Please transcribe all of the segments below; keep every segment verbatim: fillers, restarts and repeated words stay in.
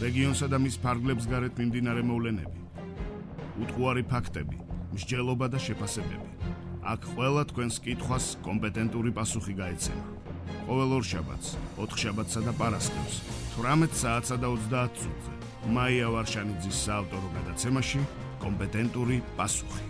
რეგიონსა და მის ფარგლებს გარეთ მიმდინარე მოვლენები, უტყუარი ფაქტები, მსჯელობა და შეფასებები. აქ ყველა თქვენს კითხვას კომპეტენტური პასუხი გაეცემა. ყოველ ორშაბათს, ოთხშაბათსა და პარასკევს, თვრამეტ საათსა და ოცდაათ წუთზე, მაია ვარშანიძის საავტორო გადაცემაში კომპეტენტური პასუხი.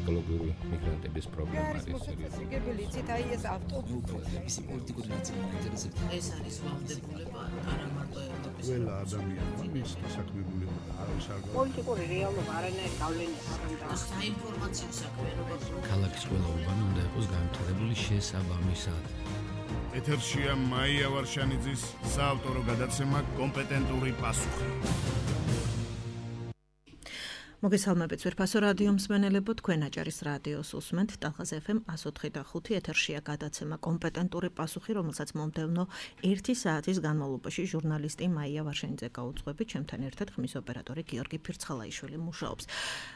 ეკოლოგიური მიგრანტების პრობლემა არის მოსაცილებელი ცით აი ეს ავტობუსის პოლიტიკური ნაწილი მაინტერესებს. ეს არის ვალდებულება არა მარტო ევროპის ყველა ადამიანმა მის საქმებულება არის არ პოლიტიკური რეალობა არანაირი გავლენა არ აქვს. საინფორმაციო საქმიანობა ქალაქის ყველა უბანი უნდა იყოს განვითარებული შესაბამისად. ეთერშია მაია ვარშანიძის საავტორო გადაცემა კომპეტენტური პასუხი. მოგესალმებით ვერფასო რადიო მსმენელებო, თქვენ აჭარის რადიოს უსმენთ ტალღაზ ეფ ემ one oh three point five ეთერშია გადაცემა კომპეტენტური პასუხი, რომელსაც მომდევნო ერთი საათის განმავლობაში ჟურნალისტი მაია ვარშანიძე გაუძღვებით, ჩემთან ერთად ხმის ოპერატორი გიორგი ფირცხალაიშვილი მუშაობს.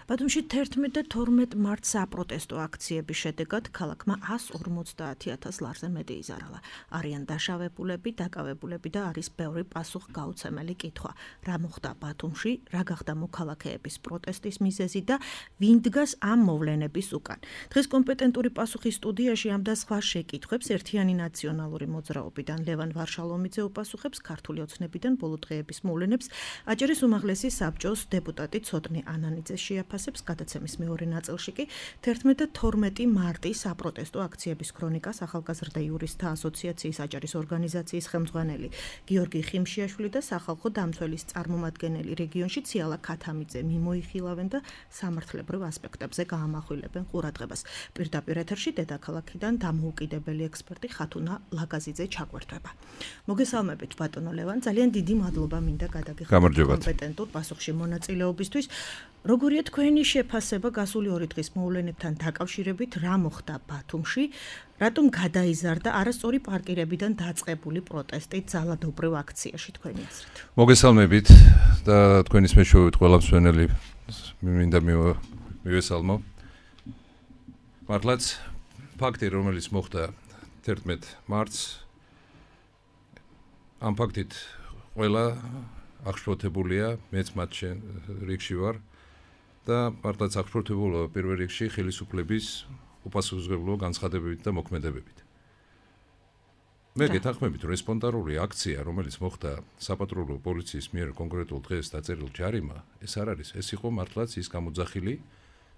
ბათუმში თერთმეტ და თორმეტ მარტს საპროტესტო აქციების შედეგად ქალაქმა one hundred forty thousand ლარზე მეტი იზარალა. არიან დაშავებულები, დაკავებულები და არის ბევრი პასუხგაუცემელი კითხვა. რა მოხდა ბათუმში, რა გახდა მოქალაქეების პროტესტი ის მიზეზი და ვინ დგას ამ მოვლენების უკან. დღეს კომპეტენტური პასუხი სტუდიაში ამ და სხვა შეკითხვებს ერთიანი ნაციონალური მოძრაობიდან ლევან ვარშალომიძე უპასუხებს, ქართული ოცნებიდან ბოლო დღეების მოვლენებს აჭარის უმაღლესი საბჭოს დეპუტატი ცოტნი ანანიძე შეაფასებს. გადაცემის მეორე ნაწილში კი თერთმეტ და თორმეტი მარტის საპროტესტო აქციების ქრონიკას ახალგაზრდა იურისტთა ასოციაციის აჭარის ორგანიზაციის ხელმძღვანელი გიორგი ხიმშიაშვილი და სახალხო დამცველის წარმომადგენელი რეგიონში ციალა ქათამიძე მიმოიხილა და სამართლებრივ ასპექტებზე გაამახვილებენ ყურადღებას. პირდაპირ ეთერში დედაქალაქიდან დამოუკიდებელი ექსპერტი ხათუნა ლაგაზიძე ჩაგვერთვება. მოგესალმებით ბატონო ლევან, ძალიან დიდი მადლობა მინდა გადაგიხადოთ კომპეტენტურ პასუხში მონაწილეობისთვის. როგორია თქვენი შეფასება გასული ორი დღის მოვლენებთან დაკავშირებით, რა მოხდა ბათუმში, რატომ გადაიზარდა არასწორი პარკირებიდან დაწყებული პროტესტი ძალადობრივ აქციაში თქვენი აზრით? მოგესალმებით და თქვენის მეშვეობით ყველა მსმენელი მინდა მივესალმო. მართლაც ფაქტი, რომელიც მოხდა თერთმეტ მარტს, ამ ფაქტით ყველა აღშფოთებულია, მეც მათ რიგში ვარ და მართლაც აღშფოთებულა პირველ რიგში ხელისუფლების უპასუხისმგებლო განცხადებებით და მოქმედებებით. მე გეთანხმებით, რომ სპონტანური აქცია, რომელიც მოხდა საპატრულო პოლიციის მიერ კონკრეტულ დღეს დაწერილ ჯარიმა, ეს არ არის, ეს იყო მართლაც ის გამოძახილი,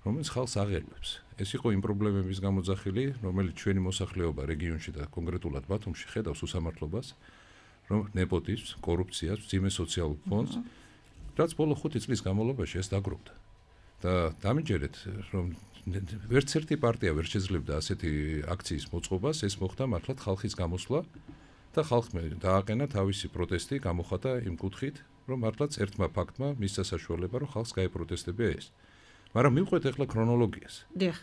რომელიც ხალხს აღერვებს. ეს იყო იმ პრობლემების გამოძახილი, რომელიც ჩვენი მოსახლეობა რეგიონში და კონკრეტულად ბათუმში ხედავს უსამართლობას, რომ ნეპოტიზმს, კორუფციას, მძიმე სოციალურ ფონდს, რაც ბოლო ხუთი წლის განმავლობაში ეს დაგროვდა. და დამიჯერეთ, რომ ვერც ერთი პარტია ვერ შეძლებდა ასეთი აქციის მოწყობას, ეს მოხდა მართლაც ხალხის გამოსვლა და ხალხმა დააყენა თავისი პროტესტი, გამოხატა იმ კუთხით, რომ მართლაც ერთმა ფაქტმა მისცა საშუალება, რომ ხალხს გაეპროტესტებია ეს. მაგრამ მივყვეთ ახლა ქრონოლოგიას. დიახ.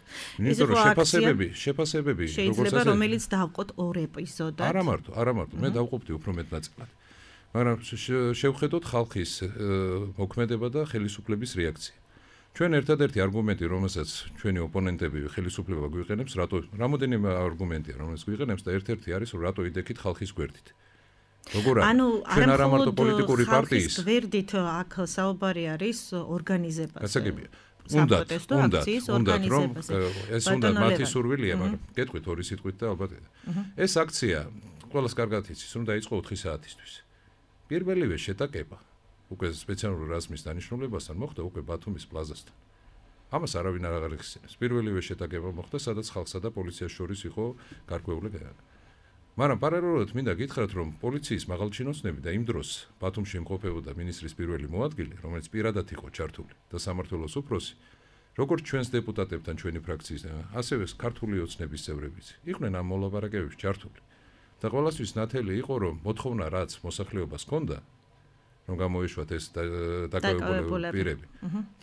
იმიტომ რომ შეფასებები, შეფასებები, შეიძლება რომელიც დავყოთ ორ ეპიზოდად. არა მარტო, არა მარტო, მე დავყოფდი უფრო მეტ ნაწილად. მაგრამ შევხედოთ ხალხის მოქმედება და ხელისუფლების რეაქცია. ჩვენ ერთადერთი არგუმენტი, რომელსაც ჩვენი ოპონენტები ხელისუფლება გვიყენებს, რატო რამოდენიმე არგუმენტია, რომელიც გვიყენებს და ერთ-ერთი არის, რომ რატო იდექით ხალხის გვერდით. როგორ არის? ჩვენ არა მარტო პოლიტიკური პარტიის გვერდით აქ საუბარი არის ორგანიზებაზე. გასაგებია. უნდათ, უნდათ, უნდათ, რომ ეს უნდა მათი სურვილია, მაგრამ გეტყვით ორი სიტყვით და ალბათ ეს აქცია ყველას კარგად იცის, რომ დაიწყო ოთხი საათისთვის. პირველივე შეტაკება უკვე სპეციალური რაზმის დანიშნულებასთან მოხდა უკვე ბათუმის პლაზასთან. ამას არავინ არ აღარ. პირველივე შეტაკება მოხდა, სადაც ხალხსა და პოლიციას შორის იყო გარკვეული. მაგრამ პარალელურად მინდა გითხრათ, რომ პოლიციის მაღალჩინოსნები და იმ დროს ბათუმში იმყოფებოდა მინისტრის პირველი მოადგილე, რომელიც პირადად იყო ჩართული და სამმართველოს უფროსი, როგორც ჩვენს დეპუტატებთან ჩვენი ფრაქციის, ასევე ქართული ოცნების წევრებიც იყვნენ ამ მოლაპარაკებებში ჩართული. და ყველასთვის ნათელი იყო, რომ მოთხოვნა რაც მოსახლეობას ჰქონდა, რომ გამოეშვათ ეს დაკავებული პირები.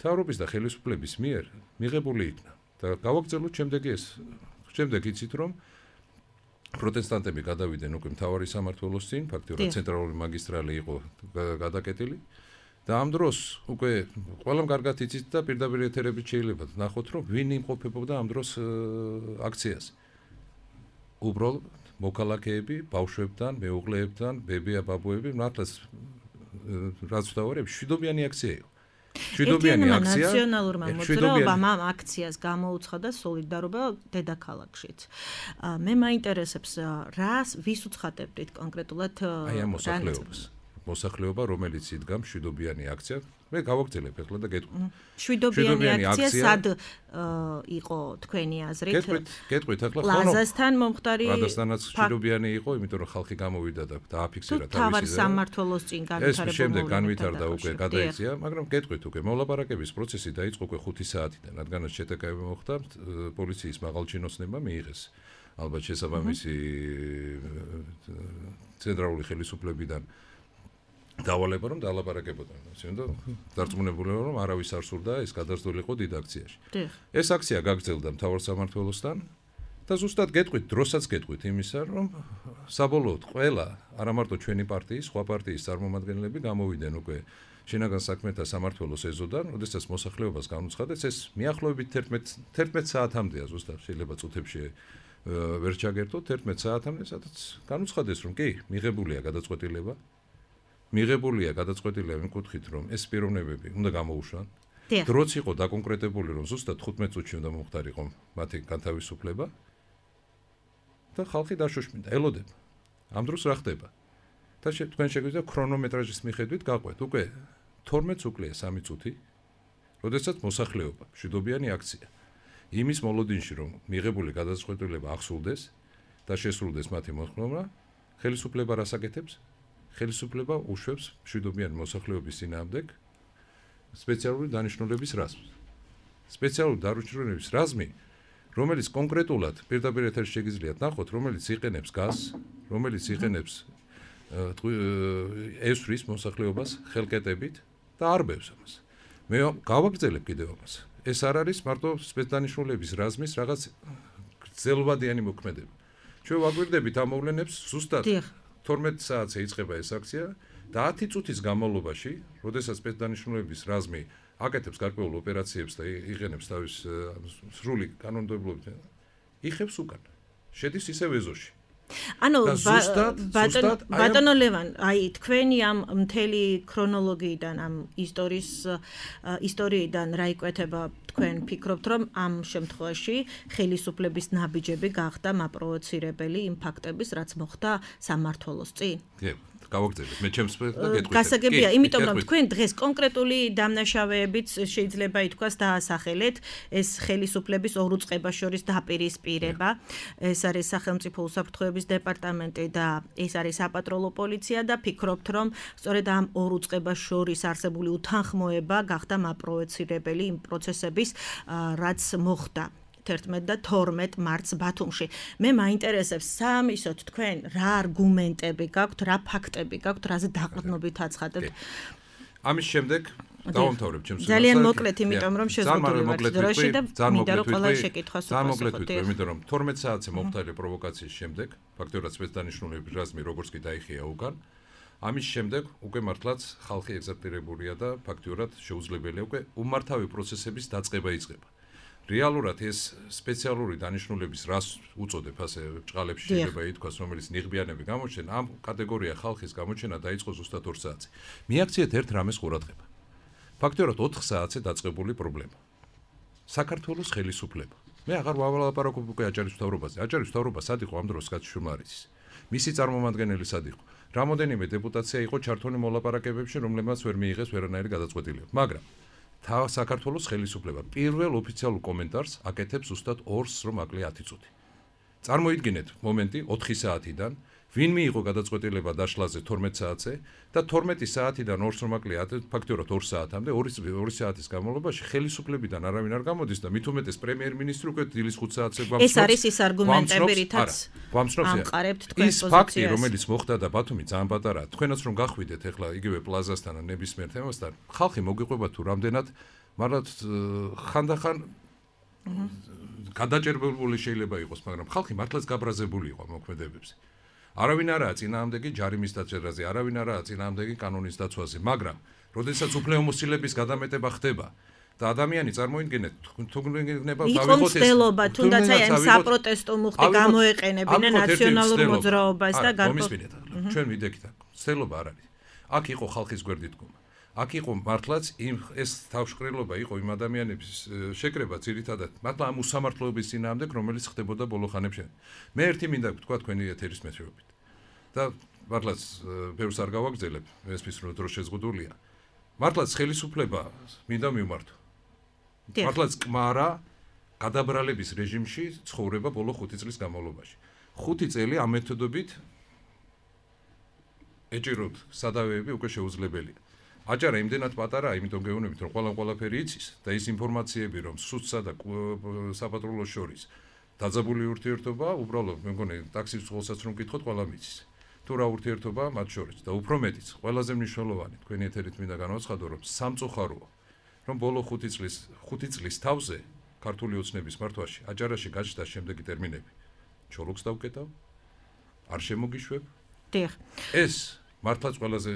მთავრობის და ხელისუფლების მიერ მიღებული იქნა და გავაგრძელოთ შემდეგი ეს. შემდეგ იცით, რომ პროტესტანტები გადავიდნენ უკვე მთავარი სამმართველოს წინ, ფაქტიურად ცენტრალური მაგისტრალი იყო გადაკეტილი და ამ დროს უკვე ყველამ კარგად იცით და პირდაპირ ეთერებით შეიძლება ნახოთ, რომ ვინ იმყოფებოდა ამ დროს აქციას. უბრალოდ მოქალაქეები, ბავშვებთან, მეუღლეებთან, ბებია-ბაბუები, მართლაც რაც ვთქვი, შვიდობიანი აქცია იყო. შვიდობიანი აქცია. ნაციონალურმა მოძრაობამ ამ აქციას გამოუცხადა სოლიდარობა დედაქალაქშიც. მე მაინტერესებს რას ვის უცხადებდით კონკრეტულად აი ამ მოსახლეობას. მოსახლეობა, რომელიც იდგა მშვიდობიანი აქცია, მე გავაგრძელებ ახლა და გეტყვი. მშვიდობიანი აქცია სად იყო თქვენი აზრით? გეტყვით, გეტყვით ახლა ხო? პლაზასთან მომხდარი პლაზასთანაც მშვიდობიანი იყო, იმიტომ რომ ხალხი გამოვიდა და დააფიქსირა თავისი. თავარ სამმართველოს წინ განვითარებულ. ეს შემდეგ განვითარდა უკვე, გადაიქცია, მაგრამ გეტყვით უკვე მოლაპარაკების პროცესი დაიწყო უკვე ხუთი საათიდან, რადგანაც შეტაკები მოხდა, პოლიციის მაღალჩინოსნებმა მიიღეს ალბათ შესაბამისი ცენტრალური ხელისუფლებიდან დავალება რომ დაალაპარაკებოდნენ. ისინი დარწმუნებულები რომ არავის არ სურდა ეს გადასვლილიყო დიდ აქციაში. ეს აქცია გაგრძელდა მთავარ სამმართველოსთან და ზუსტად გეტყვით, დროსაც გეტყვით იმისა, რომ საბოლოოდ ყველა, არა მარტო ჩვენი პარტიის, სხვა პარტიის წარმომადგენლები გამოვიდნენ უკვე შინაგან საქმეთა სამმართველოს ეზოდან, როდესაც მოსახლეობას განუცხადეს, ეს მიახლოებით თერთმეტ საათამდეა ზუსტად, შეიძლება წუთებში ვერ ჩაგერთოთ თერთმეტ საათამდე, სადაც განუცხადეს, რომ კი, მიღებულია გადაწყვეტილება მიღებულია გადაწყვეტილება იმ კუთხით, რომ ეს პიროვნებები უნდა გამოუშვან. დროც იყო დაკონკრეტებული, რომ ზუსტად თხუთმეტ წუთში უნდა მომხდარიყო მათი განთავისუფლება და ხალხი დაშოშმინდა, ელოდება. ამ დროს რა ხდება? და თქვენ შეგვიძლია ქრონომეტრაჟის მიხედვით გაყვეთ. უკვე თორმეტ უკლია სამი წუთი, როდესაც მოსახლეობა, მშვიდობიანი აქცია, იმის მოლოდინში, რომ მიღებული გადაწყვეტილება აღსრულდეს და შესრულდეს მათი მოთხოვნა, ხელისუფლება რას აკეთებს? ხელისუფლება უშვებს მშვიდობიანი მოსახლეობის წინააღმდეგ სპეციალური დანიშნულების რაზმს. სპეციალური დანიშნულების რაზმი, რომელიც კონკრეტულად პირდაპირ ეთერში შეგიძლიათ ნახოთ, რომელიც იყენებს გაზს, რომელიც იყენებს ესვრის მოსახლეობას ხელკეტებით და არბევს ამას. მე გავაგრძელებ კიდევ ამას. ეს არ არის მარტო სპეცდანიშნულების რაზმის რაღაც გრძელვადიანი მოქმედება. ჩვენ ვაგვირდებით ამ მოვლენებს ზუსტად თორმეტ საათზე იწყება ეს აქცია და ათი წუთის განმავლობაში, როდესაც სპეცდანიშნულების რაზმი აკეთებს გარკვეულ ოპერაციებს და იყენებს თავის სრული კანონმდებლობით, იხევს უკან. შედის ისევ ეზოში. ანუ ბატონო ლევან, აი თქვენი ამ მთელი ქრონოლოგიიდან, ამ ისტორიის ისტორიიდან რა იკვეთება, თქვენ ფიქრობთ, რომ ამ შემთხვევაში ხელისუფლების ნაბიჯები გახდა მაპროვოცირებელი იმ ფაქტების, რაც მოხდა სამმართველოს წინ? კი. გავაგრძელებ. მე ჩემს გეტყვით. გასაგებია, იმიტომ რომ თქვენ დღეს კონკრეტული დამნაშავეებით შეიძლება ითქვას დაასახელეთ ეს ხელისუფლების ორ უწყებას შორის დაპირისპირება. ეს არის სახელმწიფო უსაფრთხოების დეპარტამენტი და ეს არის საპატროლო პოლიცია და ფიქრობთ, რომ სწორედ ამ ორ უწყებას შორის არსებული უთანხმოება გახდა მაპროვოცირებელი იმ პროცესების, რაც მოხდა თერთმეტ და თორმეტ მარტს ბათუმში. მე მაინტერესებს სამისოთ თქვენ რა არგუმენტები გაქვთ, რა ფაქტები გაქვთ, რაზე დაყრდნობით აცხადებთ. ამის შემდეგ დავამთავრებ ჩემს ძალიან მოკლედ, იმიტომ რომ შეზღუდული ვართ დროში და მინდა რომ ყველა შეკითხვას უპასუხოთ. იმიტომ რომ თორმეტ საათზე მომხდარი პროვოკაციის შემდეგ, ფაქტობრივად სპეცდანიშნულების რაზმი როგორც კი დაიხია უკან, ამის შემდეგ უკვე მართლაც ხალხი ეგზალტირებულია და ფაქტობრივად შეუძლებელია უკვე უმართავი პროცესების დაწყება იწყება. რეალურად ეს სპეციალური დანიშნულების რას უწოდებ ასე ჭყალებში შეიძლება ითქვას, რომელიც ნიღბიანები გამოჩენ, ამ კატეგორია ხალხის გამოჩენა დაიწყო ზუსტად ორ საათზე. მიაქციეთ ერთ რამეს ყურადღება. ფაქტობრივად ოთხ საათზე დაწყებული პრობლემა. საქართველოს ხელისუფლება. მე აღარ ვავალაპარაკობ უკვე აჭარის მთავრობაზე. აჭარის მთავრობა სად იყო ამ დროს კაცშუმარიცის. მისი წარმომადგენელი სად იყო? რამოდენიმე დეპუტაცია იყო ჩართული მოლაპარაკებებში, რომლებმაც ვერ მიიღეს ვერანაირი გადაწყვეტილება. მაგრამ თა საქართველოს ხელისუფლება პირველ ოფიციალურ კომენტარს აკეთებს ზუსტად ორს რომ აკლია ათი წუთი. წარმოიდგინეთ მომენტი ოთხი საათიდან, ვინ მიიღო გადაწყვეტილება დაშლაზე თორმეტ საათზე და თორმეტი საათიდან ორს რომ აკლია ფაქტობრივად ორ საათამდე, ორი საათის განმავლობაში ხელისუფლებიდან არავინ არ გამოდის და მით უმეტეს პრემიერ-მინისტრი უკვე დილის ხუთ საათზე გვამცნობს. ეს არის ის არგუმენტები, რითაც ამყარებთ თქვენ პოზიციას. ის ფაქტი, რომელიც მოხდა და ბათუმი ძალიან პატარაა, თქვენაც რომ გახვიდეთ ახლა იგივე პლაზასთან ან ნებისმიერ თემასთან, ხალხი მოგიყვება თუ რამდენად, მაგრამ ხანდახან გადაჭერბებული შეიძლება იყოს, მაგრამ ხალხი მართლაც გაბრაზებული იყო მოქმედებებზე. არავინ არაა წინააღმდეგი ჯარიმის დაჭერაზე, არავინ არაა წინააღმდეგი კანონის დაცვაზე, მაგრამ როდესაც უფლებამოსილების გადამეტება ხდება და ადამიანი წარმოიდგინეთ თუ გნება დავიღოთ ეს ცდელობა თუნდაც აი ამ საპროტესტო მუხტი გამოეყენებინა ნაციონალურ მოძრაობას და გამომისმინეთ ჩვენ ვიდექით აქ ცდელობა არ არის აქ იყო ხალხის გვერდით დგომა აქ იყო მართლაც იმ ეს თავშკრილობა იყო იმ ადამიანების შეკრება ძირითადად მართლა ამ უსამართლოების წინააღმდეგ რომელიც ხდებოდა ბოლო ხანებში მე ერთი მინდა თქვა თქვენი ეთერის მეშვეობით და მართლაც ბევრს არ გავაგზელებ ესმის რომ დრო შეზღუდულია მართლაც ხელისუფლება მინდა მივმართო მართლაც კმარა გადაბრალების რეჟიმში ცხოვრება ბოლო ხუთი წლის განმავლობაში ხუთი წელი ამ მეთოდებით ეჭიროთ სადავეები უკვე შეუძლებელია აჭარა იმდენად პატარაა, იმიტომ გეუბნებით, რომ ყველა ყველაფერი იცის და ის ინფორმაციები, რომ სუცსა და საპატრულოს შორის დაძაბული ურთიერთობა, უბრალოდ მე მგონი ტაქსის წყალსაც რომ გითხოთ, ყველა მიცის. თუ რა ურთიერთობა მათ შორის და უფრო მეტიც, ყველაზე მნიშვნელოვანი, თქვენი ეთერით მინდა განვაცხადო, რომ სამწუხაროა, რომ ბოლო ხუთი წლის, ხუთი წლის თავზე ქართული ოცნების მართვაში აჭარაში გაჩნდა შემდეგი ტერმინები. ჩოლოქს დავკეტავ, არ შემოგიშვებ. დიახ. ეს მართლაც ყველაზე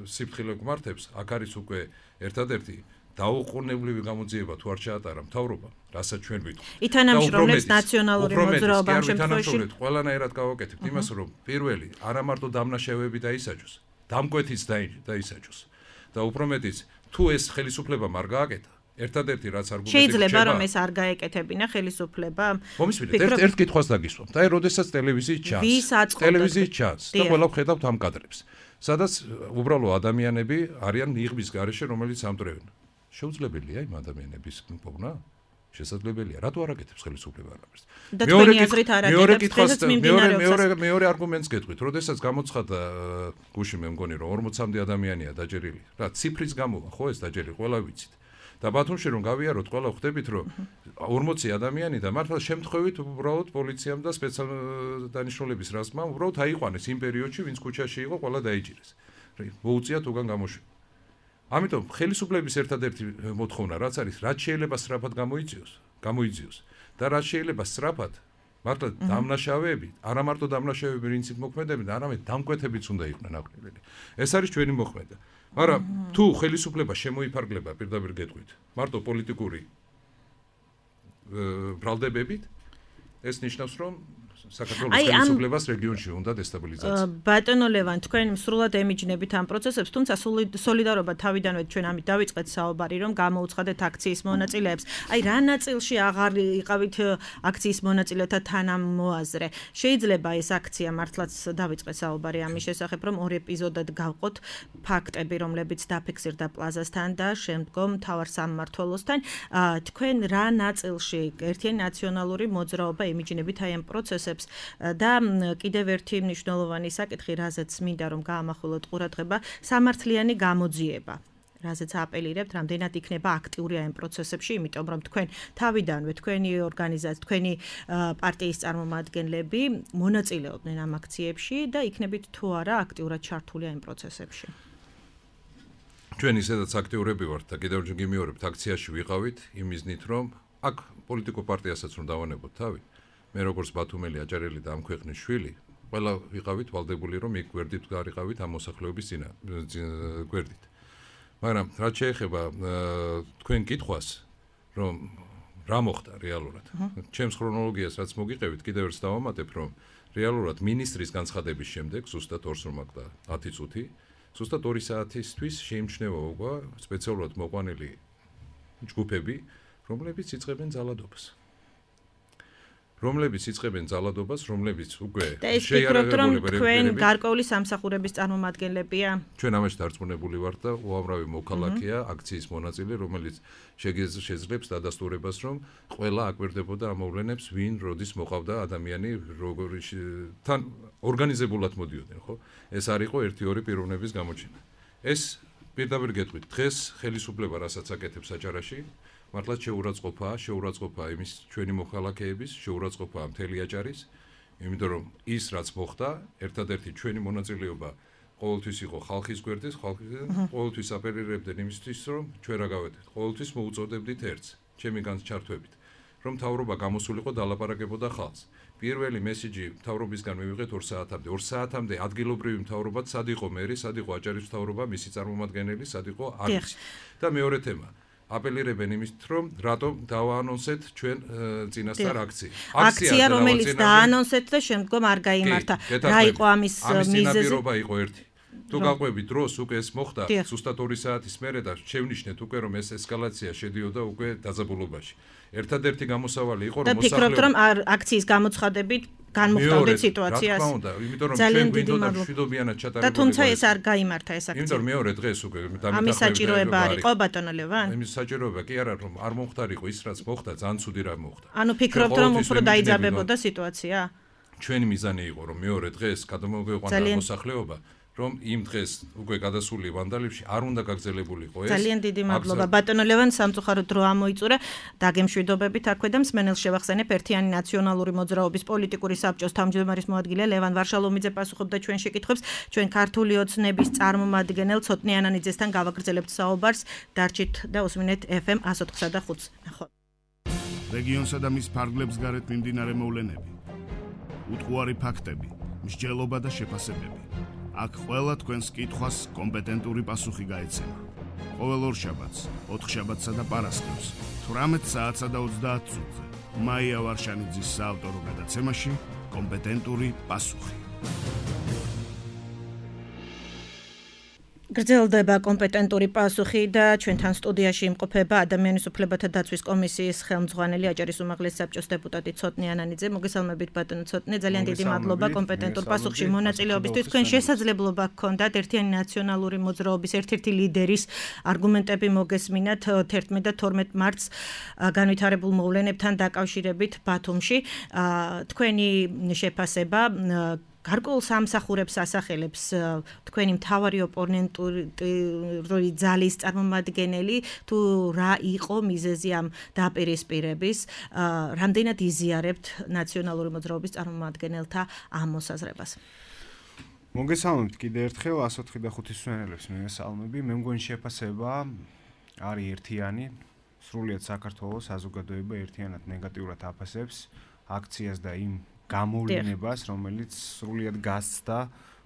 სიფრთხილე გვმართებს, აქ არის უკვე ერთადერთი დაუყოვნებლივი გამოძიება თუ არ შეატარა მთავრობა, რასაც ჩვენ ვითხოვთ. ითანამშრომლებს ნაციონალური მოძრაობა ამ შემთხვევაში. ყველანაირად გავაკეთებთ იმას, რომ პირველი არა მარტო დამნაშავეები დაისაჯოს, დამკვეთიც დაისაჯოს. და უფრო მეტიც, თუ ეს ხელისუფლება არ გააკეთა, ერთადერთი რაც არგუმენტი შეიძლება რომ ეს არ გაეკეთებინა ხელისუფლება. მომისმინეთ, ერთ ერთ კითხვას დაგისვამთ. აი, როდესაც ტელევიზიით ჩანს, ტელევიზიით ჩანს და ყველა ხედავთ ამ კადრებს. სადაც უბრალო ადამიანები არიან იღბის გარეშე, რომელიც ამტრევენ. შეუძლებელია იმ ადამიანების პოვნა? შესაძლებელია. რატო არ აკეთებს ხელისუფლება ამას? მეორე კითხვას მეორე მეორე მეორე არგუმენტს გეტყვით. როდესაც გამოცხადა გუში მე მგონი რომ ორმოცამდე ადამიანია დაჯერილი. რა ციფრის გამოვა ხო ეს დაჯერილი ყველა ვიცით. და ბათუმში რომ გავიაროთ, ყველა ხვდებით რომ ორმოცი ადამიანი და მართლა შემთხვევით უბრალოდ პოლიციამ და სპეციალ დანიშნულების რაზმმა უბრალოდ აიყვანეს იმ პერიოდში, ვინც ქუჩაში იყო, ყველა დაიჭირეს. მოუწიათ უგან გამოშვება. ამიტომ ხელისუფლების ერთადერთი მოთხოვნა რაც არის, რაც შეიძლება სწრაფად გამოიწიოს, გამოიძიოს და რაც შეიძლება სწრაფად მართლა დამნაშავეები, არა მარტო დამნაშავეები პრინციპ მოქმედებენ, არამედ დამკვეთებიც უნდა იყვნენ აკვირველი. ეს არის ჩვენი მოქმედება. მაგრამ თუ ხელისუფლება შემოიფარგლება პირდაპირ გეტყვით, მარტო პოლიტიკური ბრალდებებით, ეს ნიშნავს, რომ საქართველოს ხელისუფლებას რეგიონში უნდა დესტაბილიზაცია. ბატონო ლევან, თქვენ სრულად ემიჯნებით ამ პროცესებს, თუმცა სოლიდარობა თავიდანვე ჩვენ ამით დავიწყეთ საუბარი, რომ გამოუცხადეთ აქციის მონაწილეებს. აი, რა ნაწილში აღარ იყავით აქციის მონაწილეთა თანამოაზრე? შეიძლება ეს აქცია მართლაც დავიწყეთ საუბარი ამის შესახებ, რომ ორ ეპიზოდად გავყოთ ფაქტები, რომლებიც დაფიქსირდა პლაზასთან და შემდგომ მთავარ სამმართველოსთან. თქვენ რა ნაწილში ერთიანი ნაციონალური მოძრაობა ემიჯნებით აი ამ პროცესებს და კიდევ ერთი მნიშვნელოვანი საკითხი, რაზეც მინდა რომ გაამახვილოთ ყურადღება, სამართლიანი გამოძიება. რაზეც აპელირებთ, რამდენად იქნება აქტიური ამ პროცესებში, იმიტომ რომ თქვენ თავიდანვე თქვენი ორგანიზაცია, თქვენი პარტიის წარმომადგენლები მონაწილეობდნენ ამ აქციებში და იქნებით თუ არა აქტიურად ჩართული ამ პროცესებში. ჩვენ ისედაც აქტიურები ვართ და კიდევ ჯერ გიმეორებთ აქციაში ვიყავით იმ მიზნით, რომ აქ პოლიტიკურ პარტიასაც რომ დავანებოთ თავი. მე როგორც ბათუმელი აჭარელი და ამ ქვეყნის შვილი, ყველა ვიყავით ვალდებული, რომ იქ გვერდით გარიყავით ამ მოსახლეობის წინა გვერდით. მაგრამ რაც შეეხება თქვენ კითხვას, რომ რა მოხდა რეალურად. ჩემს ქრონოლოგიას რაც მოგიყევით, კიდევ ერთხელ დავამატებ, რომ რეალურად მინისტრის განცხადების შემდეგ, ზუსტად ორს რომ აქდა ათი წუთი, ზუსტად ორი საათისთვის შეიმჩნევა უკვე სპეციალურად მოყვანილი ჯგუფები, რომლებიც იწყებენ ძალადობას. რომლებიც იწყებენ ძალადობას, რომლებიც უკვე შეიარაღებული თქვენ გარკვეული სამსახურების წარმომადგენლებია. ჩვენ ამაში დარწმუნებული ვართ და უამრავი მოქალაქეა, აქციის მონაწილე, რომელიც შეძლებს დადასტურებას, რომ ყველა აკვირდებოდა ამ მოვლენებს, ვინ როდის მოყავდა ადამიანი, როგორი თან ორგანიზებულად მოდიოდნენ, ხო? ეს არ იყო ერთი-ორი პიროვნების გამოჩენა. ეს პირდაპირ გეტყვით, დღეს ხელისუფლება რასაც აკეთებს აჭარაში, მართლაც შეურაცხყოფაა, შეურაცხყოფაა იმის ჩვენი მოქალაქეების, შეურაცხყოფაა მთელი აჭარის, იმიტომ რომ ის რაც მოხდა, ერთადერთი ჩვენი მონაწილეობა ყოველთვის იყო ხალხის გვერდის, ხალხიდან ყოველთვის აპელირებდნენ იმისთვის, რომ ჩვენ რა გავედით, ყოველთვის მოუწოდებდით ერთს, ჩემი განსჩართვებით, რომ მთავრობა გამოსულიყო დალაპარაკებოდა ხალხს. პირველი მესიჯი მთავრობისგან მივიღეთ ორ საათამდე. ორ საათამდე ადგილობრივი მთავრობა სად იყო მერი, სად იყო აჭარის მთავრობა, მისი წარმომადგენელი, სად იყო არის. და მეორე თემა აპელირებენ იმით, რომ რატომ დავაანონსეთ ჩვენ წინასწარ აქცია. აქცია, რომელიც დაანონსეთ და შემდგომ არ გაიმართა. რა იყო ამის მიზეზი? ამის წინაპირობა იყო ერთი. თუ გაყვები დროს უკვე ეს მოხდა ზუსტად ორი საათის მერე და შევნიშნეთ უკვე რომ ეს ესკალაცია შედიოდა უკვე დაძაბულობაში. ერთადერთი გამოსავალი იყო რომ მოსახლეობა და ფიქრობთ რომ აქციის გამოცხადებით განმოხტავდეთ სიტუაციას. რა თქმა უნდა, იმიტომ რომ ჩვენ გვინდოდა მშვიდობიანად ჩატარებულიყო. და თუმცა ეს არ გაიმართა ეს აქცია. იმიტომ რომ მეორე დღეს უკვე დამიტახა. ამის საჭიროება არ იყო ბატონო ლევან? ამის საჭიროება კი არა რომ არ მომხდარიყო ის რაც მოხდა, ძალიან ცუდი რა მოხდა. ანუ ფიქრობთ რომ უფრო დაიძაბებოდა სიტუაცია? ჩვენი მიზანი იყო რომ მეორე დღეს გადმოგვიყვანა მოსახლეობა რომ იმ დღეს უკვე გადასული ვანდალებში არ უნდა გაგრძელებულიყო ეს. ძალიან დიდი მადლობა ბატონო ლევან, სამწუხაროდ დრო ამოიწურა. დაგემშვიდობებით აქვე და მსმენელს შევახსენებ ერთიანი ნაციონალური მოძრაობის პოლიტიკური საბჭოს თავმჯდომარის მოადგილე ლევან ვარშალომიძე პასუხობდა ჩვენ შეკითხვებს. ჩვენ ქართული ოცნების წარმომადგენელ ცოტნე ანანიძესთან გავაგრძელებთ საუბარს. დარჩით და უსმინეთ ეფ ემ one oh five და five. ნახოთ. რეგიონსა და მის ფარგლებს გარეთ მიმდინარე მოვლენები. უტყუარი ფაქტები, მსჯელობა და შეფასებები. აქ ყველა თქვენს კითხვას კომპეტენტური პასუხი გაეცემა. ყოველ ორშაბათს, ოთხშაბათსა და პარასკევს, თვრამეტ საათსა და ოცდაათ წუთზე. მაია ვარშანიძის საავტორო გადაცემაში კომპეტენტური პასუხი. გრძელდება კომპეტენტური პასუხი და ჩვენთან სტუდიაში იმყოფება ადამიანის უფლებათა დაცვის კომისიის ხელმძღვანელი აჭარის უმაღლესი საბჭოს დეპუტატი ცოტნე ანანიძე. მოგესალმებით ბატონო ცოტნე, ძალიან დიდი მადლობა კომპეტენტურ პასუხში მონაწილეობისთვის. თქვენ შესაძლებლობა გქონდათ ერთიანი ნაციონალური მოძრაობის ერთ-ერთი ლიდერის არგუმენტები მოგესმინათ თერთმეტ და თორმეტ მარტს განვითარებულ მოვლენებთან დაკავშირებით ბათუმში. თქვენი შეფასება გარკვეულ სამსახურებს ასახელებს თქვენი მთავარი ოპონენტური ძალის წარმომადგენელი, თუ რა იყო მიზეზი ამ დაპირისპირების, რამდენად იზიარებთ ნაციონალური მოძრაობის წარმომადგენელთა ამ მოსაზრებას. მოგესალმებით კიდე ერთხელ one oh five და five მსმენელებს მივესალმები. მე მგონი შეფასება არის ერთიანი, სრულიად საქართველოს საზოგადოება ერთიანად ნეგატიურად აფასებს აქციას და იმ გამოვლენებას, რომელიც სრულიად გასცდა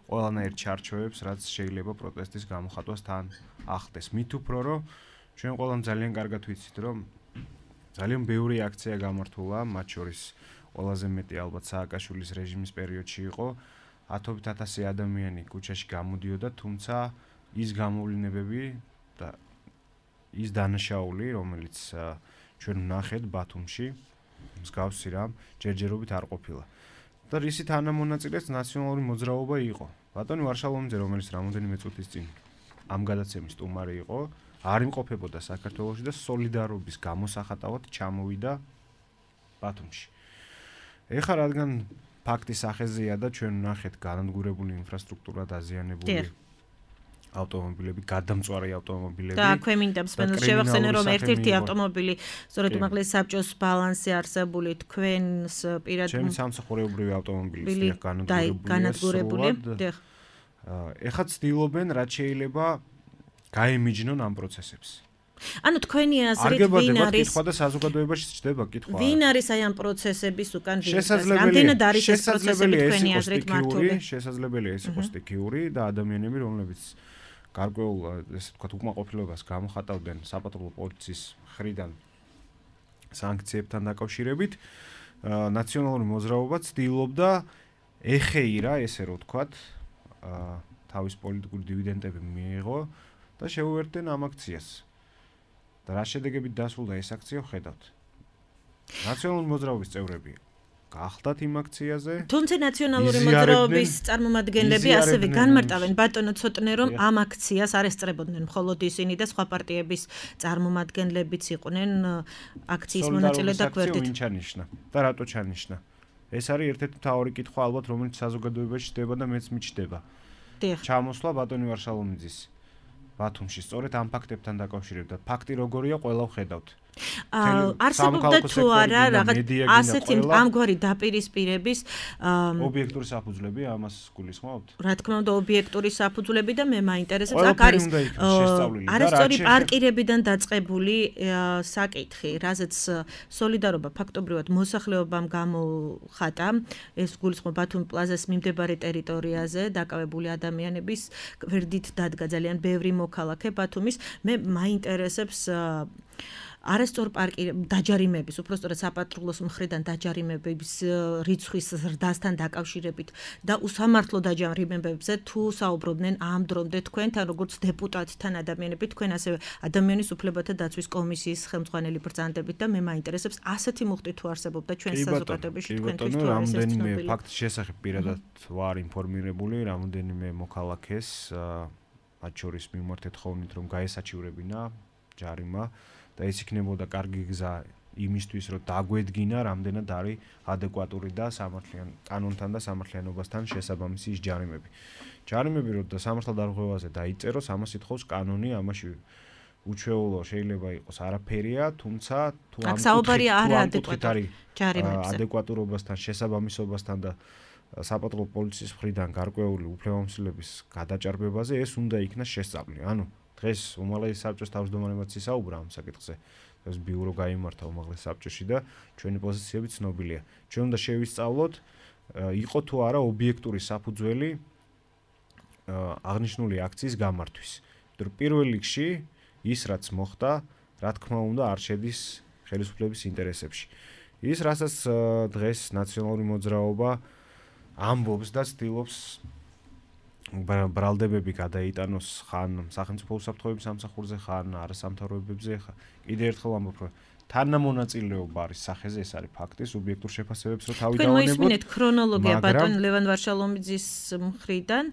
ყველანაირ ჩარჩოებს, რაც შეიძლება პროტესტის გამოხატვას თან ახდეს. მით უფრო რომ ჩვენ ყველამ ძალიან კარგად ვიცით, რომ ძალიან ბევრი აქცია გამართულა, მათ შორის ყველაზე მეტი ალბათ სააკაშვილის რეჟიმის პერიოდში იყო. ათობით ათასი ადამიანი ქუჩაში გამოდიოდა, თუმცა ის გამოვლენებები და ის დანაშაული, რომელიც ჩვენ ვნახეთ ბათუმში, მსგავსი რამ ჯერჯერობით არ ყოფილა. და რისი თანამონაწილეც ნაციონალური მოძრაობა იყო. ბატონი ვარშალომიძე, რომელიც რამოდენიმე წუთის წინ ამ გადაცემის სტუმარი იყო, არ იმყოფებოდა საქართველოში და სოლიდარობის გამოსახატავად ჩამოვიდა ბათუმში. ეხლა რადგან ფაქტის სახეზეა და ჩვენ ვნახეთ განადგურებული ინფრასტრუქტურა, დაზიანებული ავტომობილები, გადამწვარი ავტომობილები. და აქვე მინდა მსმენელს შევახსენე, რომ ერთ-ერთი ავტომობილი სწორედ უმაღლესი საბჭოს ბალანსზე არსებული თქვენს პირად ჩემი სამსახურეობრივი ავტომობილი განადგურებული. ეხლა ცდილობენ, რაც შეიძლება გაემიჯნონ ამ პროცესებს. ანუ თქვენი აზრით ვინ არის კითხვა და საზოგადოებაში ჩდება კითხვა. ვინ არის აი ამ პროცესების უკან ვინაიდან რამდენად არის ეს პროცესები თქვენი აზრით მართული? შესაძლებელია ეს იყოს სტიქიური და ადამიანები, რომლებიც გარკვეულ ესე ვთქვათ უკმაყოფილებას გამოხატავდნენ საპატრულო პოლიციის მხრიდან სანქციებთან დაკავშირებით, ნაციონალური მოძრაობა ცდილობდა ეხეირა, ესე რომ ვთქვათ, თავის პოლიტიკური დივიდენდები მიიღო და შეუერთდნენ ამ აქციას. და რა შედეგებით დასრულდა ეს აქცია, ხედავთ. ნაციონალური მოძრაობის წევრები გახდათ იმ აქციაზე. თუმცა ნაციონალური მოძრაობის წარმომადგენლები ასევე განმარტავენ ბატონო ცოტნე, რომ ამ აქციას არ ესწრებოდნენ მხოლოდ ისინი და სხვა პარტიების წარმომადგენლებიც იყვნენ აქციის მონაწილე და გვერდით. ვინ ჩანიშნა და რატო ჩანიშნა? ეს არის ერთ-ერთი მთავარი კითხვა ალბათ, რომელიც საზოგადოებაში ჩდება და მეც მიჩნდება. ჩამოსვლა ბატონი ვარშალომიძის ბათუმში სწორედ ამ ფაქტებთან დაკავშირებით. ფაქტი როგორია, ყველა ვხედავთ. არსებობდა თუ არა რაღაც ასეთი ამგვარი დაპირისპირების ობიექტური საფუძვლები, ამას გულისხმობთ? რა თქმა უნდა, ობიექტური საფუძვლები და მე მაინტერესებს, აქ არის არასწორი პარკირებიდან დაწყებული საკითხი, რაზეც სოლიდარობა ფაქტობრივად მოსახლეობამ გამოხატა. ეს გულისხმობ ბათუმ პლაზას მიმდებარე ტერიტორიაზე დაკავებული ადამიანების გვერდით დადგა ძალიან ბევრი მოქალაქე ბათუმის. მე მაინტერესებს არასწორ პარკი დაჯარიმების, უბრალოდ საპატრულოს მხრიდან დაჯარიმების რიცხვის ზრდასთან დაკავშირებით და უსამართლო დაჯარიმებებზე თუ საუბრობდნენ ამ დრომდე თქვენთან როგორც დეპუტატთან ადამიანები, თქვენ ასევე ადამიანის უფლებათა დაცვის კომისიის ხელმძღვანელი ბრძანდებით და მე მაინტერესებს ასეთი მუხტი თუ არსებობდა ჩვენ საზოგადოებაში თქვენთვის თუ არის ეს ცნობილი. რამოდენიმე ფაქტის შესახებ პირადად ვარ ინფორმირებული, რამოდენიმე მოქალაქეს მათ შორის მიმართეთ ხოვნით რომ გაესაჩივრებინა ჯარიმა და ეს იქნებოდა კარგი გზა იმისთვის, რომ დაგვედგინა, რამდენად არის ადეკვატური და სამართლიან კანონთან და სამართლიანობასთან შესაბამისი ის ჯარიმები. ჯარიმები რომ სამართალდარღვევაზე დაიწეროს, ამას ითხოვს კანონი, ამაში უჩვეულო შეიძლება იყოს არაფერია, თუმცა თუ ამ საუბარია არაადეკვატური ჯარიმებზე, ადეკვატურობასთან, შესაბამისობასთან და საპატრულო პოლიციის მხრიდან გარკვეული უფლებამოსილების გადაჭარბებაზე ეს უნდა იქნას შესწავლილი. ანუ დღეს უმაღლესი საბჭოს თავმჯდომარემაც ისაუბრა ამ საკითხზე. ეს ბიურო გაიმართა უმაღლეს საბჭოში და ჩვენი პოზიციები ცნობილია. ჩვენ უნდა შევისწავლოთ, იყო თუ არა ობიექტური საფუძველი აღნიშნული აქციის გამართვის. იმიტომ პირველ რიგში ის რაც მოხდა, რა თქმა უნდა, არ შედის ხელისუფლების ინტერესებში. ის რასაც დღეს ნაციონალური მოძრაობა ამბობს და ცდილობს ბრალდებები გადაიტანოს ხან სახელმწიფო უსაფრთხოების სამსახურზე, ხან არასამთავრობოებზე, ხან კიდევ ერთხელ ამბობ, რომ თანამონაწილეობა არის სახეზე, ეს არის ფაქტი, სუბიექტურ შეფასებებს რო თავი დავანებოთ. თქვენ მოისმინეთ ქრონოლოგია ბატონ ლევან ვარშალომიძის მხრიდან,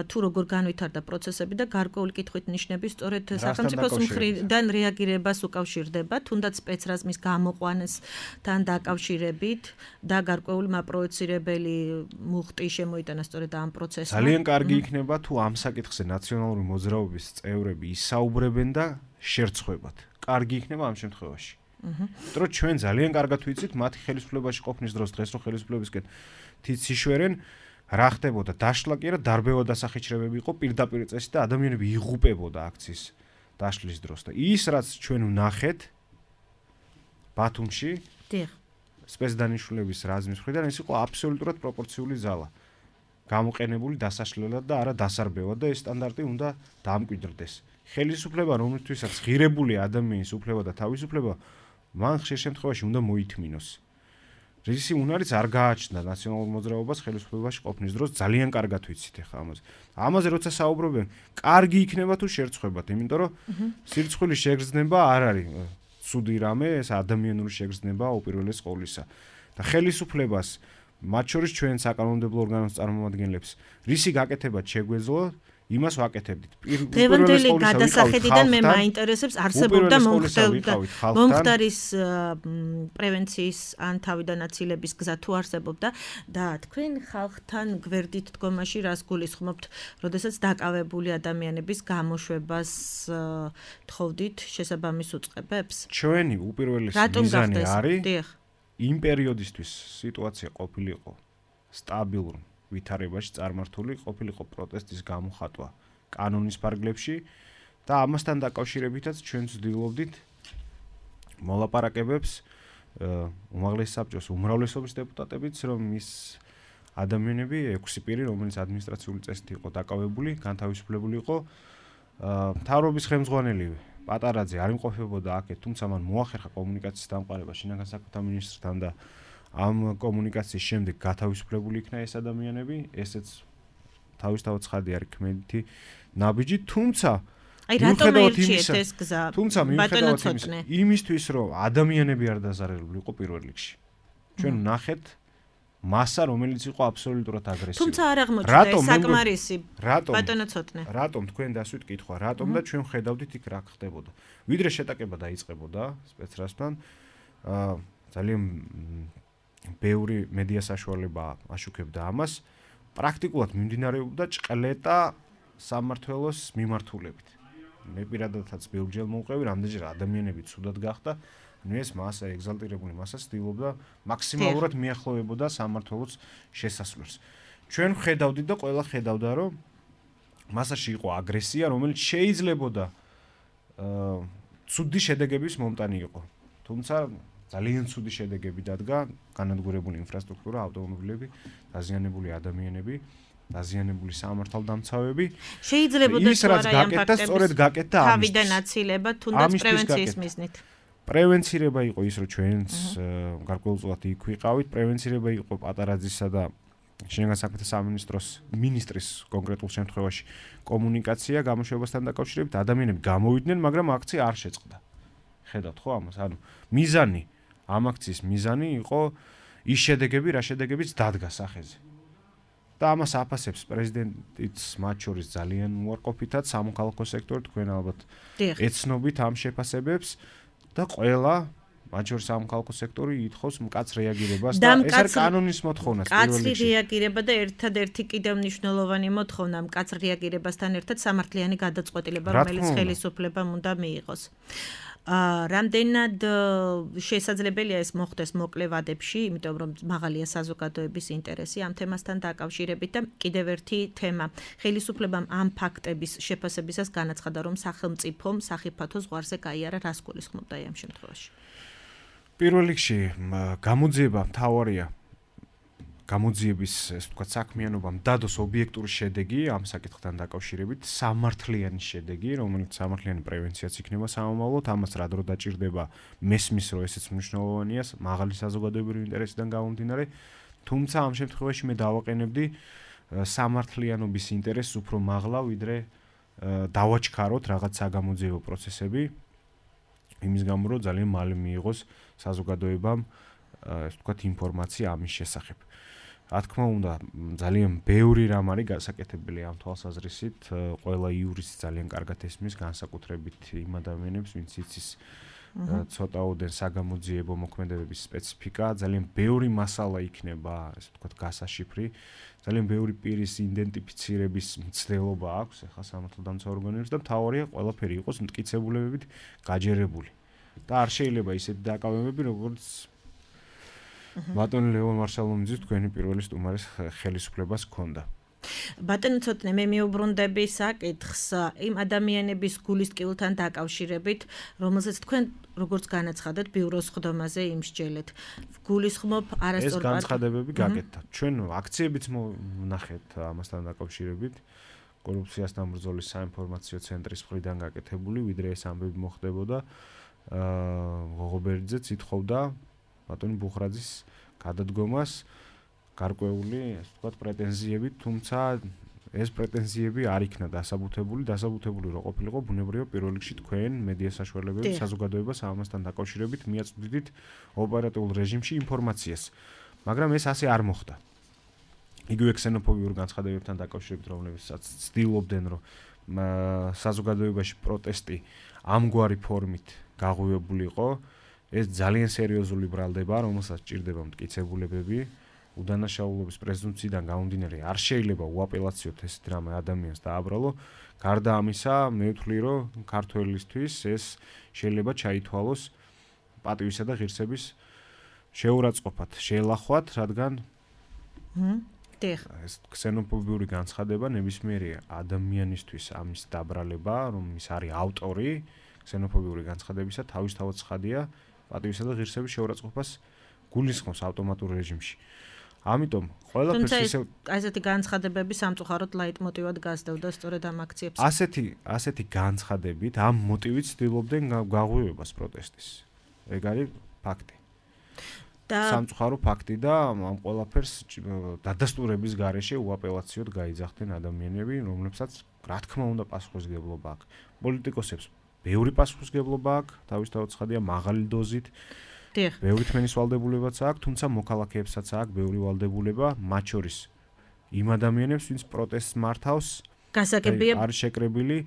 თუ როგორ განვითარდა პროცესები და გარკვეული კითხვით ნიშნები სწორედ სახელმწიფოს მხრიდან რეაგირებას უკავშირდება, თუნდაც სპეცრაზმის გამოყვანასთან დაკავშირებით და გარკვეული მაპროეცირებელი მუხტი შემოიტანა სწორედ ამ პროცესმა. ძალიან კარგი იქნება თუ ამ საკითხზე ნაციონალური მოძრაობის წევრები ისაუბრებენ და შერცხვებათ. კარგი იქნება ამ შემთხვევაში. აჰა. იმიტომ ჩვენ ძალიან კარგად ვიცით მათი ხელისუფლებაში ყოფნის დროს დღეს რო ხელისუფლებისკენ თიციშვერენ რა ხდებოდა დაშლა კი არა დარბევა დასახიჩრებები იყო პირდაპირ წესით და ადამიანები იღუპებოდა აქციის დაშლის დროს და ის რაც ჩვენ ვნახეთ ბათუმში დიახ სპეცდანიშნულების რაზმის მხრიდან ეს იყო აბსოლუტურად პროპორციული ზალა. გამოყენებული დასაშლელად და არა დასარბევად და ეს სტანდარტი უნდა დამკვიდრდეს. ხელისუფლება რომელთვისაც ღირებული ადამიანის უფლება და თავისუფლება მან ხშირ შემთხვევაში უნდა მოითმინოს. რისი უნარიც არ გააჩნდა ნაციონალურ მოძრაობას ხელისუფლებაში ყოფნის დროს ძალიან კარგად ვიცით ახლა ამაზე. ამაზე როცა საუბრობენ, კარგი იქნება თუ შერცხვებათ, იმიტომ რომ სირცხვილის შეგრძნება არ არის ცუდი რამე, ეს ადამიანური შეგრძნება უპირველეს ყოვლისა. და ხელისუფლებას მათ შორის ჩვენ საკანონმდებლო ორგანოს წარმომადგენლებს რისი გაკეთებაც შეგვეძლო იმას ვაკეთებდით. დღევანდელი გადასახედიდან მე მაინტერესებს არსებობდა მომხდარის პრევენციის ან თავიდან აცილების გზა თუ არსებობდა და თქვენ ხალხთან გვერდით დგომაში რას გულისხმობთ, როდესაც დაკავებული ადამიანების გამოშვებას თხოვდით შესაბამის უწყებებს? ჩვენი უპირველესი მიზანი არის იმ პერიოდისთვის სიტუაცია ყოფილიყო სტაბილურ ვითარებაში წარმართული ყოფილიყო პროტესტის გამოხატვა კანონის ფარგლებში და ამასთან დაკავშირებითაც ჩვენ ვცდილობდით მოლაპარაკებებს უმაღლეს საბჭოს უმრავლესობის დეპუტატებიც რომ ის ადამიანები ექვსი პირი რომელიც ადმინისტრაციული წესით იყო დაკავებული, განთავისუფლებული იყო მთავრობის ხელმძღვანელი პატარაძე არ იმყოფებოდა აქეთ, თუმცა მან მოახერხა კომუნიკაციის დამყარება შინაგან საქმეთა მინისტრთან და ამ კომუნიკაციის შემდეგ გათავისუფლებული იქნა ეს ადამიანები, ესეც თავისთავად ცხადი არის ქმედითი ნაბიჯი, თუმცა აი რატომ ერჩიეთ ეს გზა? თუმცა მიუხედავად იმისთვის, რომ ადამიანები არ დაზარალებული იყო პირველ რიგში. ჩვენ ვნახეთ მასა, რომელიც იყო აბსოლუტურად აგრესიული. თუმცა არ აღმოჩნდა ეს საკმარისი. ბატონო ცოტნე. რატომ თქვენ დასვით კითხვა, რატომ და ჩვენ ხედავდით იქ რა ხდებოდა. ვიდრე შეტაკება დაიწყებოდა სპეცრაზმთან, აა ძალიან ბევრი მედია საშუალება აშუქებდა ამას, პრაქტიკულად მიმდინარეობდა ჭყლეტა სამმართველოს მიმართულებით. მე პირადადაც ბევრჯერ მოვყევი, რამდენჯერ ადამიანები ცუდად გახდა, ნუ ეს მასა ეგზალტირებული მასა ცდილობდა მაქსიმალურად მიახლოვებოდა სამმართველოს შესასვლელს. ჩვენ ხედავდით და ყველა ხედავდა, რომ მასაში იყო აგრესია, რომელიც შეიძლებოდა აა ცუდი შედეგების მომტანი იყო. თუმცა ძალიან ცუდი შედეგები დადგა, განადგურებული ინფრასტრუქტურა, ავტომობილები, დაზიანებული ადამიანები, დაზიანებული სამართალდამცავები. Შეიძლებოდა ის რაც გაკეთდა, სწორედ გაკეთდა ამის. თავიდან აცილება, თუნდაც პრევენციის მიზნით. პრევენცირება იყო ის, რომ ჩვენც გარკვეულწილად იქ ვიყავით, პრევენცირება იყო პატარაძისა და შინაგან საქმეთა სამინისტროს მინისტრის კონკრეტულ შემთხვევაში კომუნიკაცია გამოშვებასთან დაკავშირებით, ადამიანები გამოვიდნენ, მაგრამ აქცია არ შეწყდა. ხედავთ ხო ამას? ანუ მიზანი, ამ აქციის მიზანი იყო ის შედეგები, რა შედეგებიც დადგა სახეზე. და ამას აფასებს პრეზიდენტიც მათ შორის ძალიან უარყოფითად სამოქალაქო სექტორი, თქვენ ალბათ ეცნობით ამ შეფასებებს და ყველა მათ შორის სამოქალაქო სექტორი ითხოვს მკაც რეაგირებას და ეს არის კანონის მოთხოვნა პირველ რიგში. მკაცრი რეაგირება და ერთადერთი კიდევ მნიშვნელოვანი მოთხოვნა მკაც რეაგირებასთან ერთად სამართლიანი გადაწყვეტილება, რომელიც ხელისუფლებამ უნდა მიიღოს. აა რამდენად შესაძლებელია ეს მოხდეს მოკლე ვადებში, იმიტომ რომ მაღალია საზოგადოების ინტერესი ამ თემასთან დაკავშირებით და კიდევ ერთი თემა. ხელისუფლებამ ამ ფაქტების შეფასებისას განაცხადა, რომ სახელმწიფომ სახიფათო ზღვარზე გაიარა, რას გულისხმობდა ამ შემთხვევაში. პირველ რიგში გამოძიება მთავარია გამოძიების ეს ვთქვათ საქმიანობამ დადოს ობიექტური შედეგი ამ საკითხთან დაკავშირებით, სამართლიანი შედეგი, რომელიც სამართლიანი პრევენციაც იქნება სამომავლოდ, ამას რა დრო დაჭირდება, მესმის რომ ესეც მნიშვნელოვანია, მაღალი საზოგადოებრივი ინტერესიდან გამომდინარე, თუმცა ამ შემთხვევაში მე დავაყენებდი სამართლიანობის ინტერესს უფრო მაღლა, ვიდრე დავაჩქაროთ რაღაც საგამოძიებო პროცესები, იმის გამო რომ ძალიან მალე მიიღოს საზოგადოებამ ეს ვთქვათ ინფორმაცია ამის შესახებ. რა თქმა უნდა, ძალიან ბევრი რამ არის გასაკეთებელი ამ თვალსაზრისით, ყველა იურისტი ძალიან კარგად ესმის განსაკუთრებით იმ ადამიანებს, ვინც იცის ცოტაოდენ საგამოძიებო მოქმედებების სპეციფიკა, ძალიან ბევრი მასალა იქნება, ესე ვთქვათ, გასაშიფრი, ძალიან ბევრი პირის იდენტიფიცირების მცდელობა აქვს ახლა სამართალდამცავ ორგანოებს და მთავარია ყველაფერი იყოს მტკიცებულებებით გაჯერებული. და არ შეიძლება ისეთი დაკავებები, როგორც ბატონი ლევონ მარშალოვიძის თქვენი პირველი სტუმარის ხელისუფლებას ჰქონდა. ბატონო ცოტნე მე მიუბრუნდები საკითხს იმ ადამიანების გულისწყვილთან დაკავშირებით, რომელსაც თქვენ როგორც განაცხადეთ ბიუროს ხდომაზე იმსჯელეთ. გულისხმობ არასწორ ეს განცხადებები გაკეთდა. ჩვენ აქციებიც ვნახეთ ამასთან დაკავშირებით. კორუფციასთან ბრძოლის საინფორმაციო ცენტრის მხრიდან გაკეთებული, ვიდრე ეს ამბები მოხდებოდა. აა ღოღობერიძეც ითხოვდა ბატონი ბუხრაძის გადადგომას გარკვეული, ასე ვთქვათ, პრეტენზიები, თუმცა ეს პრეტენზიები არ იქნა დასაბუთებული, დასაბუთებული რო ყოფილიყო ბუნებრივია პირველ რიგში თქვენ მედია საშუალებები საზოგადოებას ამასთან დაკავშირებით მიაწვდით ოპერატიულ რეჟიმში ინფორმაციას. მაგრამ ეს ასე არ მოხდა. იგივე ქსენოფობიურ განცხადებებთან დაკავშირებით, რომლებსაც ცდილობდნენ, რომ საზოგადოებაში პროტესტი ამგვარი ფორმით გაღვივებულიყო, ეს ძალიან სერიოზული ბრალდება, რომელსაც ჭირდება მტკიცებულებები, უდანაშაულობის პრეზუმპციიდან გამომდინარე, არ შეიძლება უაპელაციოთ ესეთ რამე ადამიანს დააბრალო. გარდა ამისა, მე ვთვლი, რომ ქართველისთვის ეს შეიძლება ჩაითვალოს პატივისა და ღირსების შეურაცხყოფად, შეელახვათ, რადგან ეს ქსენოფობიური განცხადება ნებისმიერი ადამიანისთვის ამის დაბრალება, რომ ის არის ავტორი ქსენოფობიური განცხადებისა, თავისთავად ცხადია პატივისა და ღირსების შეურაცხყოფას გულისხმობს ავტომატურ რეჟიმში. ამიტომ ყველაფერს ისე ასეთი განცხადებები სამწუხაროდ ლაიტმოტივად გასდევდა სწორედ ამ აქციებს. ასეთი ასეთი განცხადებით ამ მოტივით ცდილობდნენ გაღვივებას პროტესტის. ეგ არის ფაქტი. და სამწუხარო ფაქტი და ამ ყველაფერს დადასტურების გარეშე უაპელაციოდ გაიძახდნენ ადამიანები, რომლებსაც რა თქმა უნდა პასუხისმგებლობა აქვს. პოლიტიკოსებს ბევრი პასუხისმგებლობა აქვს, თავისთავად ცხადია მაღალი დოზით. ბევრი თმენის ვალდებულებაც აქვს, თუმცა მოქალაქეებსაც აქვს ბევრი ვალდებულება, მათ შორის იმ ადამიანებს, ვინც პროტესტს მართავს, გასაგებია არის შეკრებილი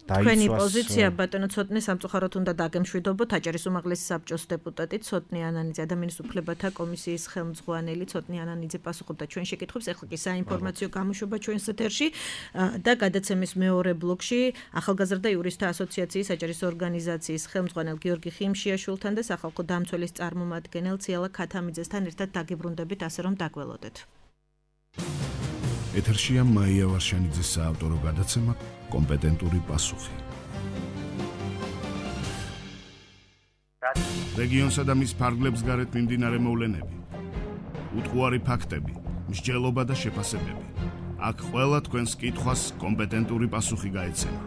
თქვენი პოზიცია ბატონო ცოტნე სამწუხაროდ უნდა დაგემშვიდობოთ აჭარის უმაღლესი საბჭოს დეპუტატი ცოტნე ანანიძე ადამიანის უფლებათა კომისიის ხელმძღვანელი ცოტნე ანანიძე პასუხობდა ჩვენ შეკითხვებს ეხლა კი საინფორმაციო გამოშვება ჩვენს ეთერში და გადაცემის მეორე ბლოკში ახალგაზრდა იურისტთა ასოციაციის აჭარის ორგანიზაციის ხელმძღვანელ გიორგი ხიმშიაშვილთან და სახალხო დამცველის წარმომადგენელ ციალა ქათამიძესთან ერთად დაგიბრუნდებით ასე რომ დაგველოდეთ. ეთერშია მაია ვარშანიძის საავტორო გადაცემა კომპეტენტური პასუხი. რეგიონსა და მის ფარგლებს გარეთ მიმდინარე მოვლენები, უტყუარი ფაქტები, მსჯელობა და შეფასებები. აქ ყველა თქვენს კითხვას კომპეტენტური პასუხი გაეცემა.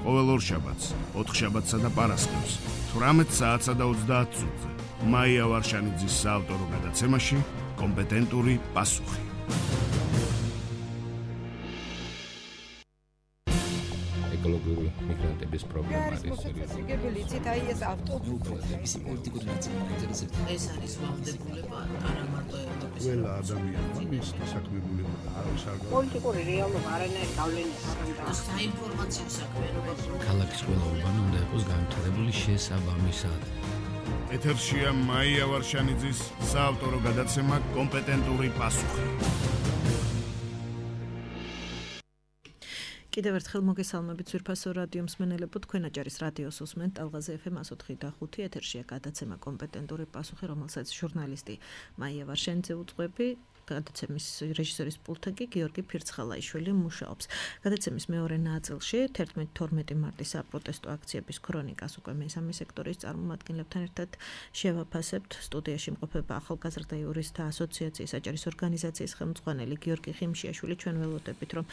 ყოველ ორშაბათს, ოთხშაბათსა და პარასკევს, თვრამეტ საათსა და ოცდაათ წუთზე, მაია ვარშანიძის საავტორო გადაცემაში კომპეტენტური პასუხი. ეკოლოგიური მიგრანტების პრობლემა არის სერიოზული. იცით, აი ეს ავტობუსი, ისი პოლიტიკური ნაწილი. ეს არის ვალდებულება არა მარტო ევროპის. ყველა ადამიანმა მის საქმიანობა არის არ პოლიტიკური რეალობა არანაირ გავლენას არ აქვს. საინფორმაციო საქმიანობა. ქალაქის ყველა უბანი უნდა იყოს განვითარებული შესაბამისად. ეთერშია მაია ვარშანიძის საავტორო გადაცემა კომპეტენტური პასუხი. კიდევ ერთხელ მოგესალმებით ძვირფასო რადიო მსმენელებო, თქვენ აჭარის რადიოს უსმენთ ტალღაზე ეფ ემ ათოთხი და ხუთი ეთერშია გადაცემა კომპეტენტური პასუხი, რომელსაც ჟურნალისტი მაია ვარშანიძე უძღვები, გადაცემის რეჟისორის პულტზე კი გიორგი ფირცხალაიშვილი მუშაობს. გადაცემის მეორე ნაწილში თერთმეტი თორმეტი მარტის საპროტესტო აქციების ქრონიკას უკვე მესამე სექტორის წარმომადგენლებთან ერთად შევაფასებთ. სტუდიაში იმყოფება ახალგაზრდა იურისტთა ასოციაციის აჭარის ორგანიზაციის ხელმძღვანელი გიორგი ხიმშიაშვილი. ჩვენ ველოდებით, რომ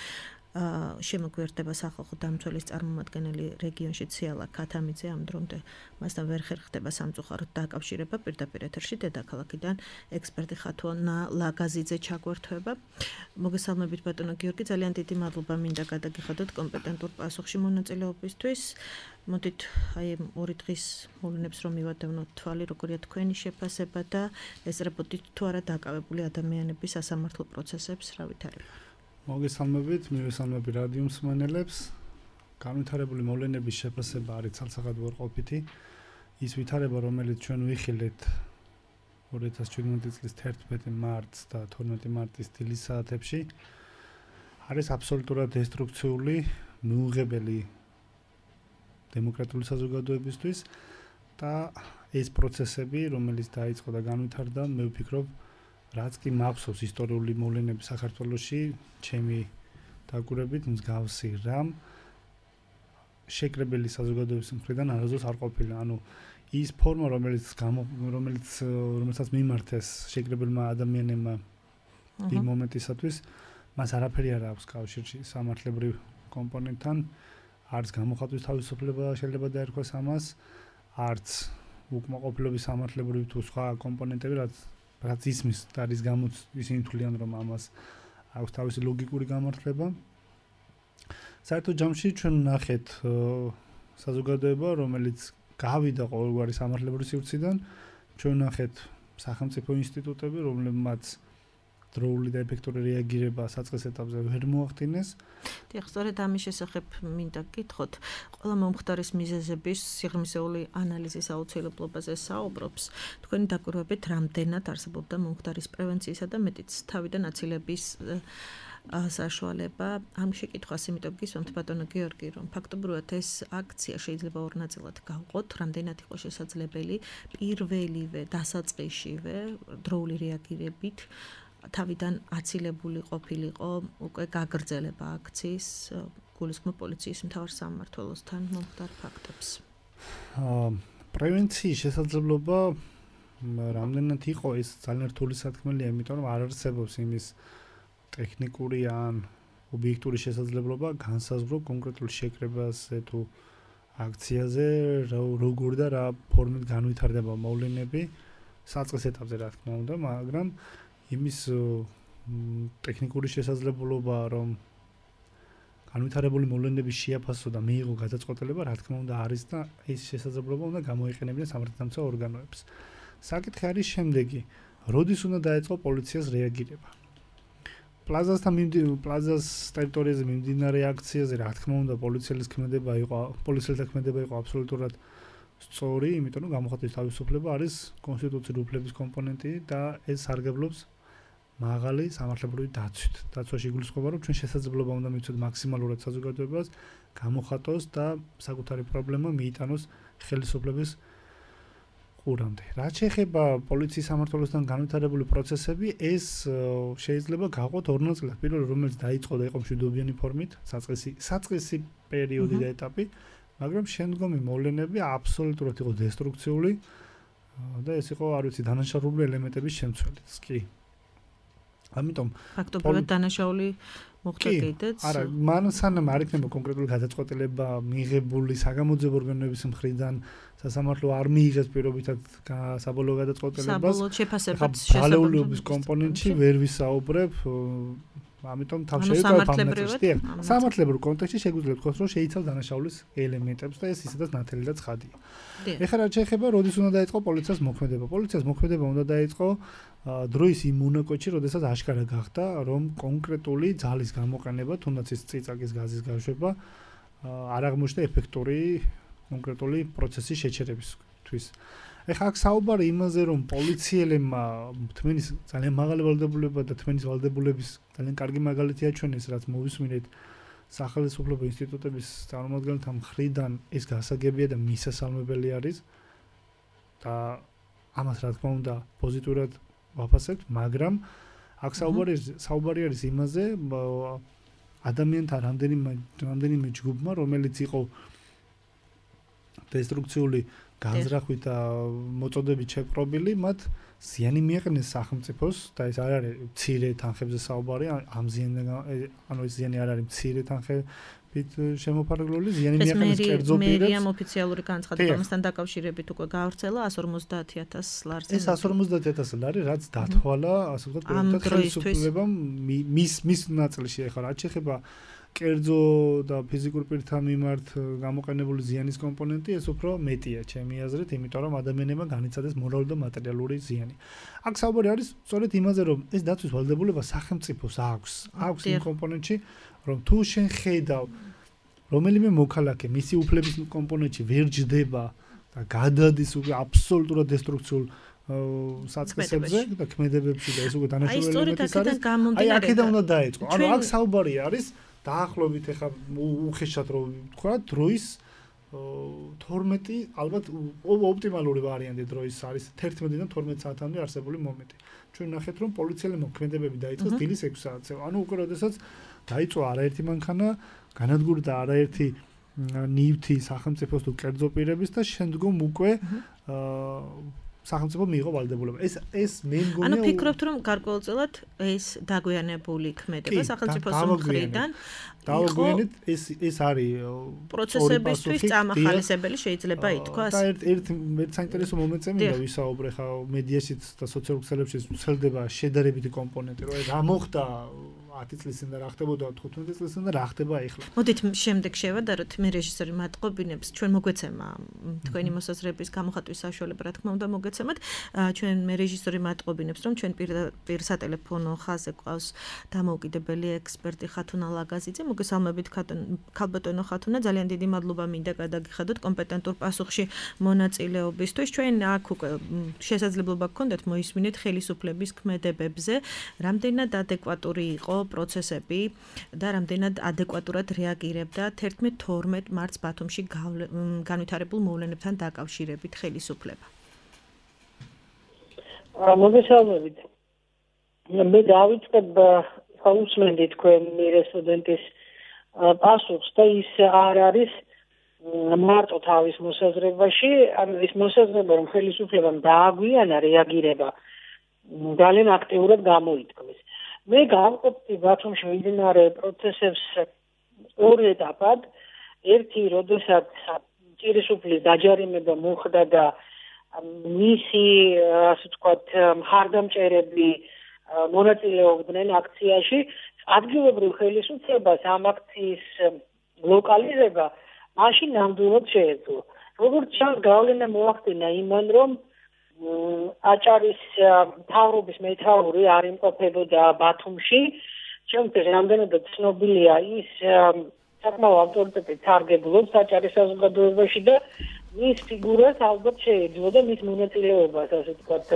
შემოგვიერთდება სახალხო დამცველის წარმომადგენელი რეგიონში ციალა ქათამიძე, ამ დრომდე მასთან ვერ ხერხდება სამწუხაროდ დაკავშირება. პირდაპირ ეთერში დედაქალაქიდან ექსპერტი ხათუნა ლაგაზიძე ჩაგვერთვება. მოგესალმებით ბატონო გიორგი, ძალიან დიდი მადლობა მინდა გადაგიხადოთ კომპეტენტურ პასუხში მონაწილეობისთვის. მოდით აი ორი დღის მოვლენებს რომ მივადევნოთ თვალი, როგორია თქვენი შეფასება და ესწრებოდით თუ არა დაკავებული ადამიანების სასამართლო პროცესებს, რა ვითარება? მოგესალმებით, მივესალმები რადიო მსმენელებს. განვითარებული მოვლენების შეფასება არის ცალსახად უარყოფითი. ის ვითარება, რომელიც ჩვენ ვიხილეთ ორი ათას შვიდმეტი წლის თერთმეტი მარტს და თორმეტი მარტის დილის საათებში, არის აბსოლუტურად დესტრუქციული, მიუღებელი დემოკრატიული საზოგადოებისთვის და ეს პროცესები, რომელიც დაიწყო და განვითარდა, მე ვფიქრობ, რაც კი მახსოვს ისტორიული მოვლენები საქართველოში, ჩემი დაკვირვებით მსგავსი რამ შეკრებილი საზოგადოების მხრიდან არასდროს არ ყოფილა. ანუ ის ფორმა, რომელიც რომელიც რომელსაც მიმართეს შეკრებილმა ადამიანებმა იმ მომენტისათვის, მას არაფერი არ აქვს კავშირში სამართლებრივ კომპონენტთან, არც გამოხატვის თავისუფლება შეიძლება დაერქვას ამას, არც უკმაყოფილების სამართლებრივი თუ სხვა კომპონენტები, რაც რაც ისმის და რის გამოც ისინი თვლიან, რომ ამას აქვს თავისი ლოგიკური გამართლება. საერთოდ ჯამში ჩვენ ვნახეთ საზოგადოება, რომელიც გავიდა ყოველგვარი სამართლებრივი სივრციდან, ჩვენ ვნახეთ სახელმწიფო ინსტიტუტები, რომლებმაც დროული და ეფექტური რეაგირება საწყის ეტაპზე ვერ მოახდინეს. დიახ, სწორედ ამის შესახებ მინდა გითხოთ. ყველა მომხდარის მიზეზების სიღრმისეული ანალიზის აუცილებლობაზე საუბრობს. თქვენი დაკვირვებით რამდენად არსებობდა მომხდარის პრევენციისა და მეტიც თავიდან აცილების საშუალება? ამ შეკითხვას იმიტომ გისვამთ ბატონო გიორგი, რომ ფაქტობრივად ეს აქცია შეიძლება ორ ნაწილად გავყოთ, რამდენად იყო შესაძლებელი პირველივე დასაწყისშივე დროული რეაგირებით თავიდან აცილებული ყოფილიყო უკვე გაგრძელება აქციის გულისხმობ პოლიციის მთავარ სამმართველოსთან მომხდარ ფაქტებს. პრევენციის შესაძლებლობა რამდენად იყო ეს ძალიან რთული სათქმელია, იმიტომ რომ არ არსებობს იმის ტექნიკური ან ობიექტური შესაძლებლობა განსაზღვრო კონკრეტულ შეკრებაზე თუ აქციაზე როგორ და რა ფორმით განვითარდება მოვლენები საწყის ეტაპზე, რა თქმა უნდა, მაგრამ იმის ტექნიკური შესაძლებლობა, რომ განვითარებული მოვლენების შეაფასო და მიიღო გადაწყვეტილება, რა თქმა უნდა არის და ეს შესაძლებლობა უნდა გამოიყენებინა სამართალდამცავ ორგანოებს. საკითხი არის შემდეგი: როდის უნდა დაეწყო პოლიციას რეაგირება? პლაზასთან პლაზას ტერიტორიაზე მიმდინარე აქციაზე, რა თქმა უნდა, პოლიციელის ქმედება იყო, პოლიციელთა ქმედება იყო აბსოლუტურად სწორი, იმიტომ რომ გამოხატვის თავისუფლება არის კონსტიტუციური უფლების კომპონენტი და ეს სარგებლობს მაღალი სამართლებრივი დაცვით. დაცვაში იგულისხმება, რომ ჩვენ შესაძლებლობა უნდა მივცეთ მაქსიმალურად საზოგადოებას გამოხატოს და საკუთარი პრობლემა მიიტანოს ხელისუფლების ყურამდე. რაც შეეხება პოლიციის სამმართველოსთან განვითარებული პროცესები, ეს შეიძლება გავყოთ ორ ნაწილად. პირველი, რომელიც დაიწყო და იყო მშვიდობიანი ფორმით, საწყისი საწყისი პერიოდი და ეტაპი, მაგრამ შემდგომი მოვლენები აბსოლუტურად იყო დესტრუქციული. და ეს იყო, არ ვიცი, დანაშაულებული ელემენტების შემცველიც კი. ამიტომ ფაქტობრივად დანაშაული მოხდა კიდეც. არა, მან სანამ არ იქნება კონკრეტული გადაწყვეტილება მიღებული საგამოძიებო ორგანოების მხრიდან, სასამართლო არ მიიღეს პირობითად საბოლოო გადაწყვეტილებას. საბოლოო შეფასებაც შესაბამისობის კომპონენტში ვერ ვისაუბრებ. ამიტომ თავ შეიძლება პამატებრივად სამართლებრივ კონტექსტში შეგვიძლია ვთქვათ, რომ შეიცავს დანაშაულის ელემენტებს და ეს ისედაც ნათელი და ცხადია. ეხლა რა შეიძლება, როდის უნდა დაიწყო პოლიციას მოქმედება? პოლიციას მოქმედება უნდა დაიწყო დროის იმ მონაკოჩი, როდესაც აშკარა გახდა, რომ კონკრეტული ძალის გამოყენება, თუნდაც ის წიწაკის გაზის გაშვება, არ აღმოჩნდა ეფექტური კონკრეტული პროცესის შეჩერებისთვის. ეხლა აქ საუბარი იმაზე, რომ პოლიციელებმა თმენის ძალიან მაღალი ვალდებულება და თმენის ვალდებულების ძალიან კარგი მაგალითი აჩვენეს, რაც მოვისმინეთ სახელმწიფო ინსტიტუტების წარმომადგენელთა მხრიდან, ეს გასაგებია და მისასალმებელი არის და ამას რა თქმა უნდა პოზიტიურად ვაფასებთ, მაგრამ აქ საუბარი საუბარი არის იმაზე, ადამიანთა რამდენიმე რამდენიმე ჯგუფმა, რომელიც იყო დესტრუქციული განზრახვით და მოწოდებით შეპყრობილი, მათ ზიანი მიაყენეს სახელმწიფოს და ეს არ არის მცირე თანხებზე საუბარი, ამ ზიანიდან ანუ ეს ზიანი არ არის მცირე თანხებით შემოფარგლული, ზიანი მიაყენეს კერძო პირებს. ეს მერიამ ოფიციალური განცხადება ამასთან დაკავშირებით უკვე გავრცელა one hundred fifty thousand ლარზე. ეს one hundred fifty thousand ლარი, რაც დათვალა, ასე ვთქვათ, პროექტად ხელისუფლებამ მის მის ნაწილში ახლა რაც შეეხება კერძო და ფიზიკურ პირთა მიმართ გამოყენებული ზიანის კომპონენტი ეს უფრო მეტია ჩემი აზრით, იმიტომ რომ ადამიანებმა განიცადეს მორალური და მატერიალური ზიანი. აქ საუბარი არის სწორედ იმაზე, რომ ეს დაცვის ვალდებულება სახელმწიფოს აქვს, აქვს იმ კომპონენტში, რომ თუ შენ ხედავ რომელიმე მოქალაქე მისი უფლების კომპონენტში ვერ ჯდება და გადადის აბსოლუტურად დესტრუქციულ საწყისებზე და ქმედებებში და ეს უკვე დანაშაული ელემენტის არის. აი აქედან უნდა დაიწყო. ანუ აქ საუბარი არის დაახლოებით ეხა უხეშად რომ ვთქვა დროის თორმეტი ალბათ ოპტიმალური ვარიანტი დროის არის თერთმეტიდან თორმეტ საათამდე არსებული მომენტი. ჩვენ ნახეთ რომ პოლიციელებმა მოქმედებები დაიწყეს დილის ექვსი საათზე. ანუ უკვე როდესაც დაიწყო არაერთი მანქანა, განადგურდა არაერთი ნივთი სახელმწიფოს თუ კერძო პირების და შემდგომ უკვე სახელმწიფო მიიღო ვალდებულება. ეს ეს მე მგონია ანუ ფიქრობთ რომ გარკვეულწილად ეს დაგვიანებული ქმედება სახელმწიფოს მხრიდან დაგვიანეთ ეს ეს არის პროცესებისთვის წამახალისებელი შეიძლება ითქვას. და ერთ ერთ ერთ საინტერესო მომენტზე მინდა ვისაუბრე ხა მედიაშიც და სოციალურ ქსელებშიც ვრცელდება შედარებითი კომპონენტი, რომ რა მოხდა ათი წლის წინ და რა ხდებოდა თხუთმეტი წლის წინ და რა ხდება ახლა. მოდით შემდეგ შევადაროთ მე რეჟისორი მატყობინებს ჩვენ მოგვეცემა თქვენი მოსაზრების გამოხატვის საშუალება რა თქმა უნდა მოგეცემათ. ჩვენ მე რეჟისორი მატყობინებს რომ ჩვენ პირ სატელეფონო ხაზზე გვყავს დამოუკიდებელი ექსპერტი ხათუნა ლაგაზიძე. მოგესალმებით ქალბატონო ხათუნა, ძალიან დიდი მადლობა მინდა გადაგიხადოთ კომპეტენტურ პასუხში მონაწილეობისთვის. ჩვენ აქ უკვე შესაძლებლობა გქონდათ მოისმინეთ ხელისუფლების ქმედებებზე, რამდენად ადეკვატური იყო პროცესები და რამდენად ადეკვატურად რეაგირებდა თერთმეტ თორმეტ მარტს ბათუმში განვითარებულ მოვლენებთან დაკავშირებით ხელისუფლება. მოგესალმებით. მე დავიწყებ ხაუსმენდი თქვენი რესპონდენტის პასუხს და ის არ არის მარტო თავის მოსაზრებაში, ანუ ის მოსაზრება რომ ხელისუფლებამ დააგვიანა რეაგირება ძალიან აქტიურად გამოითქმის. მე გავყოფდი ბათუმში მიმდინარე პროცესებს ორ ეტაპად. ერთი, როდესაც ჭირისუფლის დაჯარიმება მოხდა და მისი, ასე ვთქვათ, მხარდამჭერები მონაწილეობდნენ აქციაში, ადგილობრივ ხელისუფლებას ამ აქციის ლოკალიზება მაშინ ნამდვილად შეეძლო. როგორც ჩანს, გავლენა მოახდინა იმან, რომ აჭარის მთავრობის მეთაური არ იმყოფებოდა ბათუმში. ჩემთვის რამდენადაც ცნობილია ის საკმაო ავტორიტეტით სარგებლობს აჭარის საზოგადოებაში და მის ფიგურას ალბათ შეეძლო და მის მონაწილეობას, ასე ვთქვათ,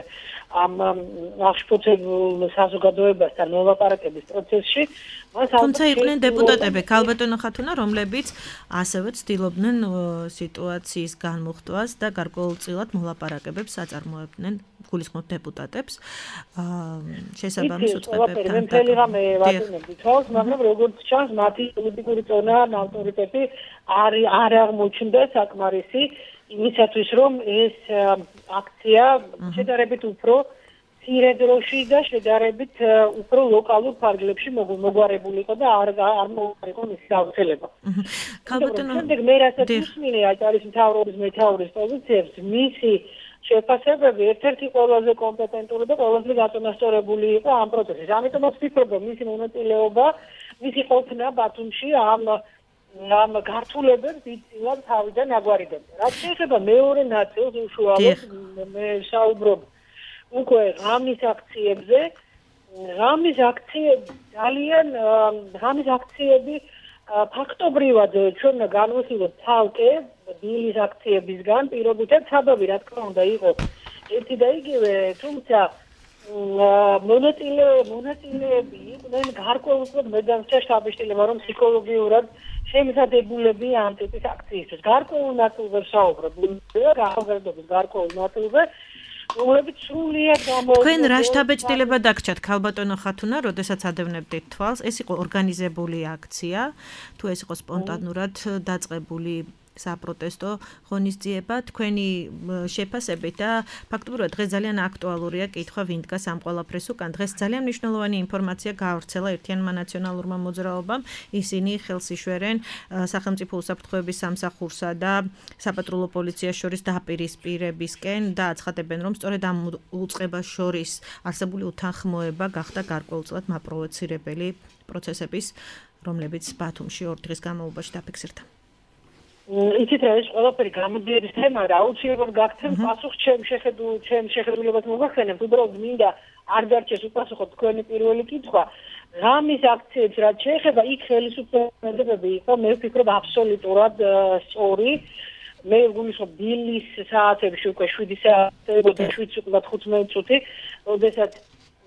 ამ აღშფოთებულ საზოგადოებასთან მოლაპარაკების პროცესში. თუმცა იყვნენ დეპუტატები, ქალბატონო ხათუნა, რომლებიც ასევე ცდილობდნენ სიტუაციის განმუხტვას და გარკვეულწილად მოლაპარაკებებს აწარმოებდნენ, გულისხმობ დეპუტატებს. შესაბამის უწყებებთან. მე მთელი რამე ვატუნებდი თავს, მაგრამ როგორც ჩანს, მათი პოლიტიკური წონა, ავტორიტეტი არ არ აღმოჩნდა საკმარისი იმისათვის რომ ეს აქცია შედარებით უფრო მცირე დროში და შედარებით უფრო ლოკალურ ფარგლებში მოგვარებულიყო და არ არ მოუყარიყო მისი გავრცელება. ქალბატონო, შემდეგ მე რასაც უსმინე აჭარის მთავრობის მეთაურის პოზიციებს, მისი შეფასებები ერთ-ერთი ყველაზე კომპეტენტური და ყველაზე გაწონასწორებული იყო ამ პროცესის. ამიტომაც ვფიქრობ, რომ მისი მონაწილეობა, მისი ყოფნა ბათუმში ამ ამ გართულებებს იწილად თავიდან აგვარებდა. რაც შეეხება მეორე ნაწილს უშუალოდ მე საუბრობ უკვე ღამის აქციებზე, ღამის აქციები ძალიან ღამის აქციები ფაქტობრივად ჩვენ განვიხილოთ ცალკე დილის აქციებისგან, პირობითად საბაბი რა თქმა უნდა იყო ერთი და იგივე, თუმცა მონაწილე მონაწილეები იყვნენ გარკვეულწილად მე დამრჩა შთაბეჭდილება, რომ ფსიქოლოგიურად შემზადებულები ამ ტიპის აქციისთვის. გარკვეულ ნაწილზე ვსაუბრობ, ახალგაზრდობის გარკვეულ ნაწილზე, რომლებიც სრულიად გამოვიდა. თქვენ რა შთაბეჭდილება დაგჭათ ქალბატონო ხათუნა, როდესაც ადევნებდით თვალს, ეს იყო ორგანიზებული აქცია, თუ ეს იყო სპონტანურად დაწყებული საპროტესტო ღონისძიება, თქვენი შეფასებით და ფაქტობრივად დღეს ძალიან აქტუალურია კითხვა ვინ დგას ამ ყველაფრის უკან. დღეს ძალიან მნიშვნელოვანი ინფორმაცია გაავრცელა ერთიანმა ნაციონალურმა მოძრაობამ. ისინი ხელს იშველენ სახელმწიფო უსაფრთხოების სამსახურსა და საპატრულო პოლიციას შორის დაპირისპირებისკენ და აცხადებენ, რომ სწორედ ამ უწყებას შორის არსებული უთანხმოება გახდა გარკვეულწილად მაპროვოცირებელი პროცესების, რომლებიც ბათუმში ორი დღის განმავლობაში დაფიქსირდა. იცით რა ეს ყველაფერი გამოდიების თემა რა აუცილებლად გაგცემ პასუხს ჩემ შეხედულ ჩემ შეხედულებად მოგახსენებთ უბრალოდ მინდა არ დარჩეს უპასუხოთ თქვენი პირველი კითხვა ღამის აქციებს რაც შეეხება იქ ხელისუფლებები იყო მე ვფიქრობ აბსოლუტურად სწორი მე ვგულისხმობ დილის საათებში უკვე შვიდი საათი და შვიდ უკვე ხუთმეტი წუთი როდესაც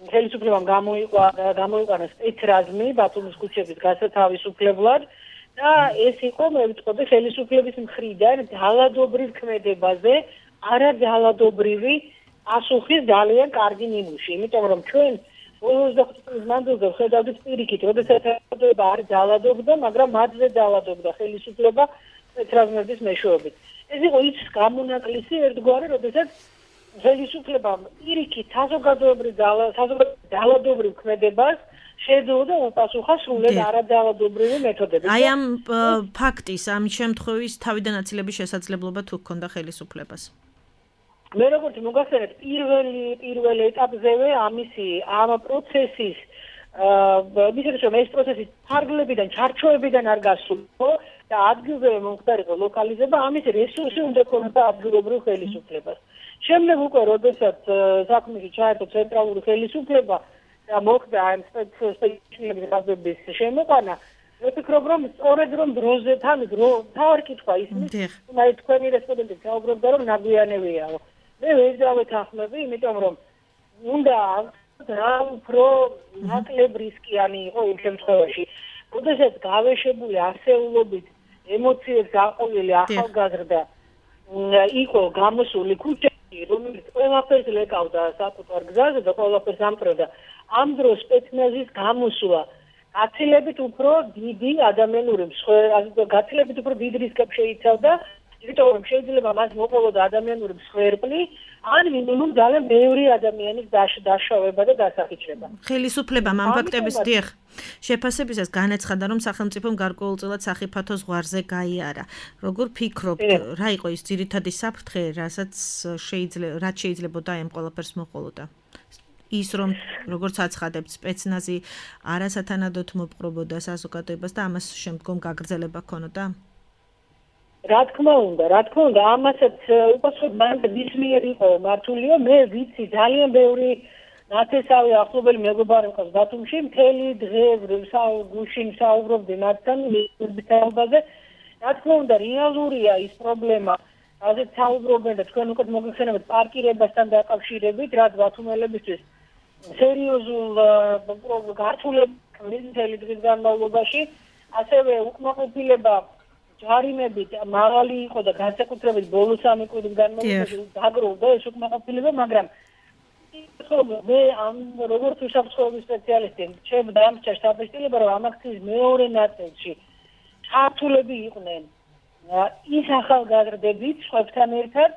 ხელისუფლებამ გამოიყო გამოიყენა სპეცრაზმი ბათუმის ქუჩების გასათავისუფლებლად და ეს იყო მე ვიტყოდი ხელისუფლების მხრიდან ძალადობრივ ქმედებაზე არა ძალადობრივი პასუხის ძალიან კარგი ნიმუში იმიტომ რომ ჩვენ ოცდახუთი წლის მანძილზე ვხედავდით პირიქით როდესაც ხელისუფლება არ ძალადობდა მაგრამ მათზე ძალადობდა ხელისუფლება სპეცრაზმების მეშვეობით ეს იყო ის გამონაკლისი ერთგვარი როდესაც ხელისუფლებამ პირიქით საზოგადოებრივ ძალადობრივ ქმედებას შეძულდა უპასუხა სრულად არაძალადობრივი მეთოდებით. აი ამ ფაქტის, ამ შემთხვევის თავიდან აცილების შესაძლებლობა თუ ჰქონდა ხელისუფლებას? მე როგორც მოგახსენეთ, პირველი პირველ ეტაპზევე ამისი ამ პროცესის აა მისცეს რომ ეს პროცესი ფარგლებიდან, ჩარჩოებიდან არ გასულიყო და ადგილზე მომხდარიყო ლოკალიზება, ამის რესურსი უნდა ქონოდა ადგილობრივ ხელისუფლებას. შემდეგ უკვე როდესაც საქმეში ჩაერთო ცენტრალური ხელისუფლება და მოხდა ამ სპეციალისტების გაზების შემოყვანა, მე ვფიქრობ, რომ სწორედ რომ დროზე თან დრო თავი კითხვა ისმის, თუმცა თქვენი რესპონდენტი საუბრობდა, რომ ნაგვიანებიაო. მე ვეძავეთ ახმები, იმიტომ რომ უნდა რა უფრო ნაკლებ რისკიანი იყო იმ შემთხვევაში. როდესაც გავეშებული არსეულობით ემოციებს გაყოლილი ახალგაზრდა იყო გამოსული ქუჩაში, რომელიც ყველაფერს ლეკავდა საკუთარ გზაზე და ყველაფერს ამკროდა. ამ დროს სპეცნაზის გამოსვლა გაცილებით უფრო დიდი ადამიანური მსხვერპლი, გაცილებით უფრო დიდ რისკებს შეიცავდა, იმიტომ რომ შეიძლება მას მოყოლოდა ადამიანური მსხვერპლი, ან მინიმუმ ძალიან ბევრი ადამიანის დაშავება და დასახიჩრება. ხელისუფლებამ ამ ფაქტების დიახ შეფასებისას განაცხადა, რომ სახელმწიფომ გარკვეულწილად სახიფათო ზღვარზე გაიარა. როგორ ფიქრობთ, რა იყო ის ძირითადი საფრთხე, რასაც შეიძლება რაც შეიძლებოდა ამ ყველაფერს მოყოლოდა? ის რომ როგორც აცხადებთ სპეცნაზი არასათანადოდ მოპყრობოდა საზოგადოებას და ამას შემდგომ გაგრძელება ქონოდა? რა თქმა უნდა, რა თქმა უნდა, ამასაც უპასუხოდ მან მის მიერ იყო მართულია, მე ვიცი ძალიან ბევრი ნათესავი ახლობელი მეგობარი მყავს ბათუმში, მთელი დღე გუშინ საუბრობდი მათთან მისბითალბაზე. რა თქმა უნდა, რეალურია ის პრობლემა, რაზეც საუბრობენ და თქვენ უკვე მოგეხსენებათ პარკირებასთან დაკავშირებით, რაც ბათუმელებისთვის სერიოზულ გართულებას მთელი დღის განმავლობაში, ასევე უკმაყოფილება ჯარიმებით მაღალი იყო და განსაკუთრებით ბოლო სამი კვირის განმავლობაში დაგროვდა ეს უკმაყოფილება, მაგრამ მე ამ როგორც უსაფრთხოების სპეციალისტი ჩემ დამრჩა შთაბეჭდილება, რომ ამ აქციის მეორე ნაწილში ჩართულები იყვნენ ის ახალგაზრდებით სხვებთან ერთად,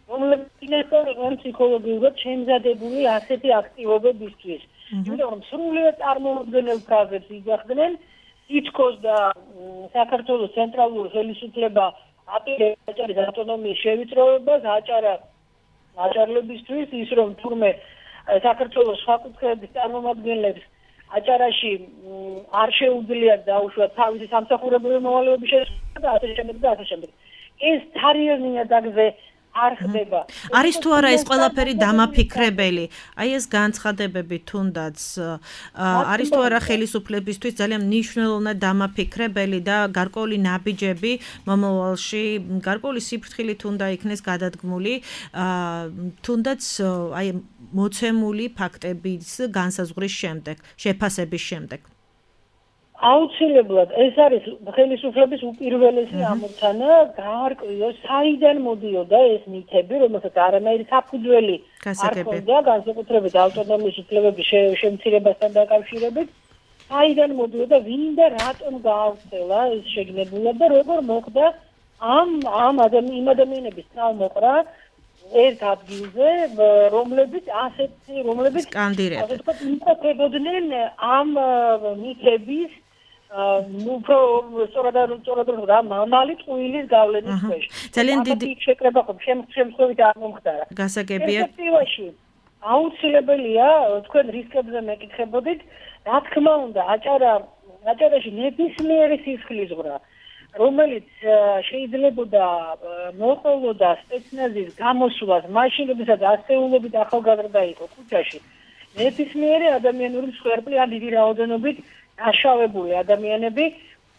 რომლებიც იყვნენ ფსიქოლოგიურად შემზადებული ასეთი აქტივობებისთვის. იმიტომ რომ სრულიად წარმოუდგენელ ფრაზებს იძახდნენ, ითქოს და საქართველოს ცენტრალური ხელისუფლება აპირებს აჭარის ავტონომიის შევიწროვებას, აჭარა აჭარლებისთვის, ის რომ თურმე საქართველოს სხვა კუთხეების წარმომადგენლებს აჭარაში არ შეუძლიათ დაუშვათ თავისი სამსახურებრივი მოვალეობის შესრულება და ასე შემდეგ და ასე შემდეგ. ეს თარიღი ნიადაგზე არ ხდება. არის თუ არა ეს ყველაფერი დამაფიქრებელი? აი ეს განცხადებები თუნდაც არის თუ არა ხელისუფლებისთვის ძალიან მნიშვნელოვნად დამაფიქრებელი და გარკვეული ნაბიჯები მომავალში, გარკვეული სიფრთხილით უნდა იქნეს გადადგმული, თუნდაც აი მოცემული ფაქტების განსაზღვრის შემდეგ, შეფასების შემდეგ. აუცილებლად ეს არის ხელისუფლების უპირველესი ამოცანა გაარკვიოს საიდან მოდიოდა ეს მითები, რომელსაც არანაირი საფუძველი არ ჰქონდა განსაკუთრებით ავტონომიის უფლებების შემცირებასთან დაკავშირებით, საიდან მოდიოდა, ვინ და რატომ გაავრცელა ეს შეგნებულად და როგორ მოხდა ამ ამ იმ ადამიანების თავმოყრა ერთ ადგილზე, რომლებიც ასეთი რომლებიც სკანდირებდნენ, ასე ვთქვათ, იმყოფებოდნენ ამ მითების უფრო სწორად სწორად რა მამალი ტყუილის გავლენის ქვეშ. ძალიან დიდი შეკრება ხომ შემთხვევით არ მომხდარა. გასაგებია. პერსპექტივაში აუცილებელია თქვენ რისკებზე მეკითხებოდით, რა თქმა უნდა, აჭარა აჭარაში ნებისმიერი სისხლისღვრა, რომელიც შეიძლებოდა მოყოლოდა სპეცნაზის გამოსვლას, მაშინ როდესაც ასეულობით ახალგაზრდა იყო ქუჩაში. ნებისმიერი ადამიანური მსხვერპლი ან დიდი რაოდენობით დაშავებული ადამიანები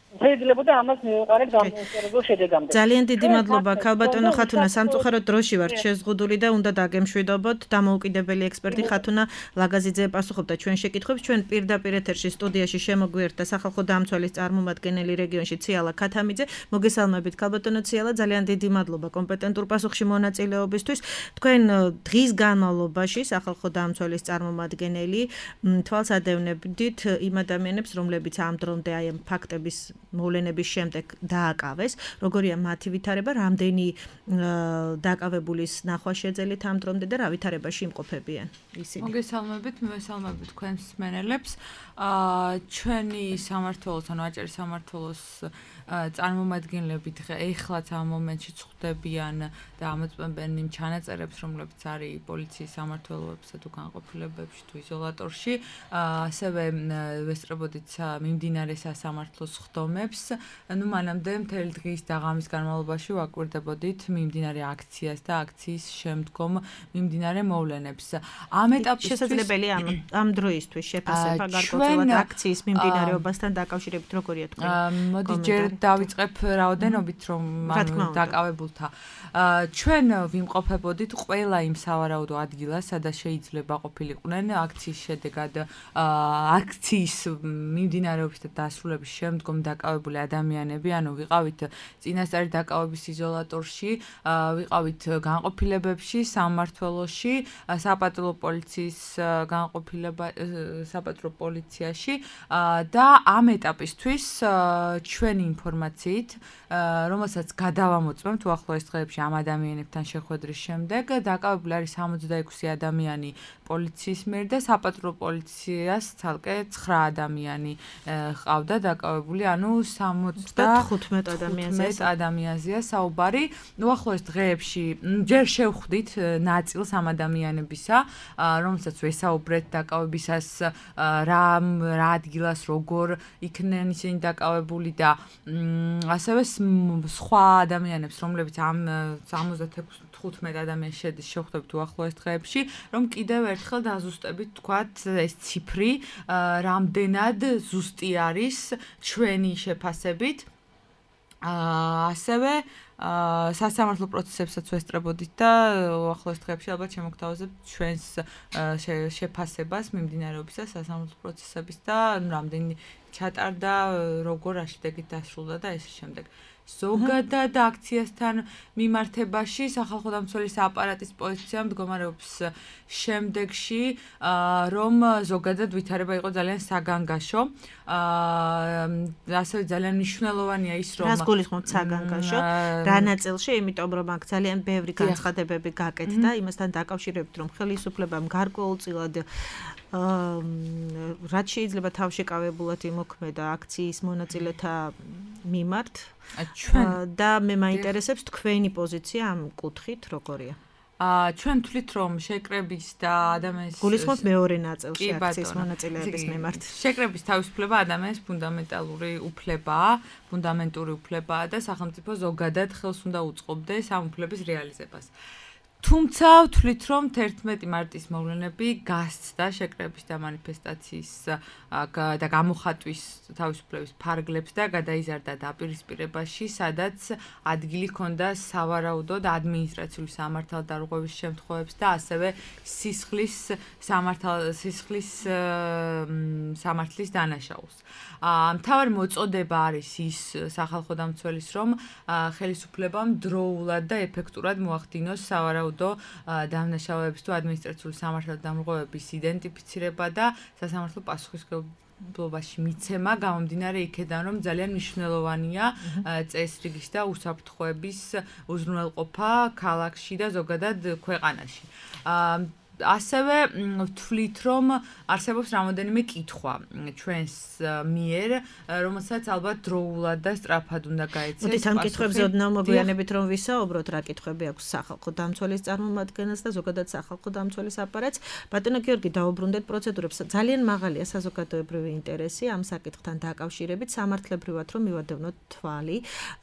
შეიძლება ამას მივუყარეთ გამოსალებელ შედეგამდე. ძალიან დიდი მადლობა ქალბატონო ხათუნა, სამწუხაროდ დროში ვართ შეზღუდული და უნდა დაგემშვიდობოთ. დამოუკიდებელი ექსპერტი ხათუნა ლაგაზიძე პასუხობდა ჩვენ შეკითხვებს. ჩვენ პირდაპირ ეთერში სტუდიაში შემოგვიერთდა სახალხო დამცველის წარმომადგენელი რეგიონში ციალა ქათამიძე. მოგესალმებით ქალბატონო ციალა, ძალიან დიდი მადლობა კომპეტენტურ პასუხში მონაწილეობისთვის. თქვენ დღის განმავლობაში სახალხო დამცველის წარმომადგენელი თვალს ადევნებდით იმ ადამიანებს, რომლებიც ამ დრომდე აი ამ ფაქტების მოვლენების შემდეგ დააკავეს, როგორია მათი ვითარება, რამდენი დაკავებულის ნახვა შეძელით ამ დრომდე და რა ვითარებაში იმყოფებიან ისინი. მოგესალმებით, მივესალმებით თქვენს მსმენელებს. აა ჩვენი სამმართველოს, ანუ აჭარის სამმართველოს წარმომადგენლები ეხლაც ამ მომენტში წხვდებიან და ამოწმებენ იმ ჩანაწერებს, რომლებიც არის პოლიციის სამმართველოებსა თუ განყოფილებებში თუ იზოლატორში. ასევე ვესწრებოდით მიმდინარე სასამართლოს ხდომებს. ნუ მანამდე მთელი დღის და ღამის განმავლობაში ვაკვირდებოდით მიმდინარე აქციას და აქციის შემდგომ მიმდინარე მოვლენებს. ამ ეტაპში შესაძლებელია ამ ამ დროისთვის შეფასება გარკვეულად აქციის მიმდინარეობასთან დაკავშირებით როგორია თქვენ? მოდი ჯერ დავიწყებ რაოდენობით, რომ დაკავებულთა. ჩვენ ვიმყოფებოდით ყველა იმ სავარაუდო ადგილას, სადაც შეიძლება ყოფილიყვნენ აქციის შედეგად აქციის მიმდინარეობის და დასრულების შემდგომ დაკავებული ადამიანები, ანუ ვიყავით წინასწარი დაკავების იზოლატორში, ვიყავით განყოფილებებში, სამმართველოში, საპატრულო პოლიციის განყოფილება საპატრულო პოლიციაში და ამ ეტაპისთვის ჩვენი ინფორმაციით, რომელსაც გადავამოწმებთ უახლოეს დღეებში ამ ადამიანებთან შეხვედრის შემდეგ, დაკავებული არის სამოცდაექვსი ადამიანი პოლიციის მიერ და საპატრულო პოლიციას ცალკე ცხრა ადამიანი ყავდა დაკავებული, ანუ სამოცდახუთმეტ ადამიანზეა საუბარი. უახლოეს დღეებში ჯერ შევხვდით ნაწილს ამ ადამიანებისა, რომელსაც ვესაუბრეთ დაკავებისას, რა რა ადგილას როგორ იქნენ ისინი დაკავებული და ასევე სხვა ადამიანებს, რომლებიც ამ სამოცდახუთმეტ ადამიანს შედის შევხვდებით უახლოეს დღეებში, რომ კიდევ ერთხელ დაზუსტებით თქვათ ეს ციფრი, რამდენად ზუსტი არის ჩვენი შეფასებით. ასევე სასამართლო პროცესებსაც ვესწრებოდით და უახლოეს დღეებში ალბათ შემოგთავაზებთ ჩვენს შეფასებას მიმდინარეობისა სასამართლო პროცესების და რამდენი ჩატარდა, როგორ აშდებით დასრულდა და ესე შემდეგ. ზოგადად აქციასთან მიმართებაში სახალხო დამცველის აპარატის პოზიცია მდგომარეობს შემდეგში, რომ ზოგადად ვითარება იყო ძალიან საგანგაშო. ასევე ძალიან მნიშვნელოვანია ის, რომ რას გულისხმობთ საგანგაშო? რა ნაწილში, იმიტომ რომ აქ ძალიან ბევრი განცხადებები გაკეთდა იმასთან დაკავშირებით, რომ ხელისუფლებამ გარკვეულწილად რაც შეიძლება თავშეკავებულად იმოქმედა აქციის მონაწილეთა მიმართ და მე მაინტერესებს თქვენი პოზიცია ამ კუთხით როგორია? აა ჩვენ თვლით რომ შეკრების და ადამიანის გულისხმობთ მეორე ნაწილში აქციის მონაწილეების მიმართ. შეკრების თავისუფლება ადამიანის ფუნდამენტალური უფლებაა, ფუნდამენტური უფლებაა და სახელმწიფო ზოგადად ხელს უნდა უწყობდეს ამ უფლების რეალიზებას. თუმცა ვთვლით რომ თერთმეტი მარტის მოვლენები გასცდა შეკრების და მანიფესტაციის და გამოხატვის თავისუფლების ფარგლებს და გადაიზარდა დაპირისპირებაში, სადაც ადგილი ჰქონდა სავარაუდო და ადმინისტრაციული სამართალდარღვევის შემთხვევებს და ასევე სისხლის სამართალ სისხლის სამართლის დანაშაულს. მთავარი მოწოდება არის ის სახალხო დამცველის, რომ ხელისუფლებამ დროულად და ეფექტურად მოახდინოს სავარაუდო დამნაშავეების თუ ადმინისტრაციული სამართალდამრღვევების იდენტიფიცირება და სასამართლო პასუხისმგებლობაში მიცემა, გამომდინარე იქედან, რომ ძალიან მნიშვნელოვანია წესრიგის და უსაფრთხოების უზრუნველყოფა ქალაქში და ზოგადად ქვეყანაში. ასევე ვთვლით, რომ არსებობს რამოდენიმე კითხვა ჩვენს მიერ, რომელსაც ალბათ დროულად და სწრაფად უნდა გაეცეს. მოდით ამ კითხვებზე ოდნავ მოგვიანებით რომ ვისაუბროთ, რა კითხვები აქვს სახალხო დამცველის წარმომადგენელს და ზოგადად სახალხო დამცველის აპარატს. ბატონო გიორგი, დაუბრუნდეთ პროცედურებს. ძალიან მაღალია საზოგადოებრივი ინტერესი ამ საკითხთან დაკავშირებით, სამართლებრივად რომ მივადევნოთ თვალი,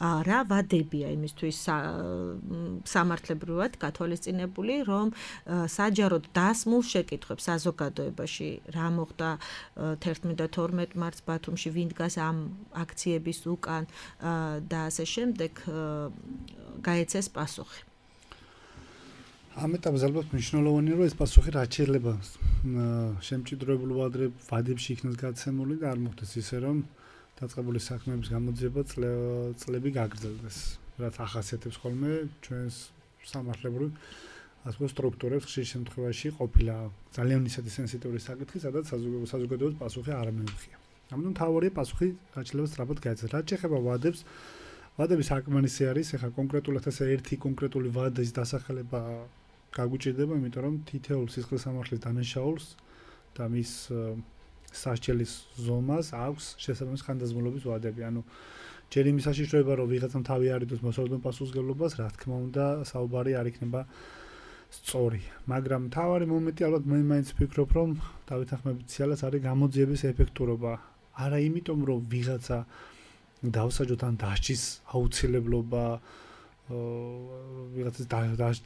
რა ვადებია იმისთვის სამართლებრივად გათვალისწინებული, რომ საჯაროდ დასმულ შეკითხვებს საზოგადოებაში რა მოხდა თერთმეტ და თორმეტ მარტს ბათუმში, ვინ დგას ამ აქციების უკან და ასე შემდეგ გაეცეს პასუხი. ამ ეტაპზე ალბათ მნიშვნელოვანია, რომ ეს პასუხი რაც შეიძლება შემჭიდროებულ ვადებში იქნას გაცემული და არ მოხდეს ისე, რომ დაწყებული საქმეების გამოძიება წლები გაგრძელდეს, რაც ახასიათებს ხოლმე ჩვენს სამართლებრივ ასე სტრუქტურებს ხშირ შემთხვევაში ყოფილა ძალიან ისეთი სენსიტიური საკითხი, სადაც საზოგადოების პასუხი არ მეუღია. ამიტომ თავარია პასუხი რაც შეიძლება სწრაფად გაეცეს. რაც შეეხება ვადებს, ვადები საკმარისი არის, ეხლა კონკრეტულად ესე ერთი კონკრეტული ვადის დასახელება გაგუჭირდება, იმიტომ რომ თითოეულ სისხლის სამართლის დანაშაულს და მის სასჯელის ზომას აქვს შესაბამის ხანდაზმულობის ვადები. ანუ ჯერ იმის საშიშროება, რომ ვიღაცამ თავი არიდოს მოსალოდნელ პასუხისმგებლობას, რა თქმა უნდა, საუბარი არ იქნება სწორი, მაგრამ თავარი მომენტი ალბათ მე მაინც ვფიქრობ, რომ დავითანხმებით სიალას არის გამოძიების ეფექტურობა. არა იმიტომ, რომ ვიღაცა დავსაჯოთ ან დასჯის აუცილებლობა, ვიღაცას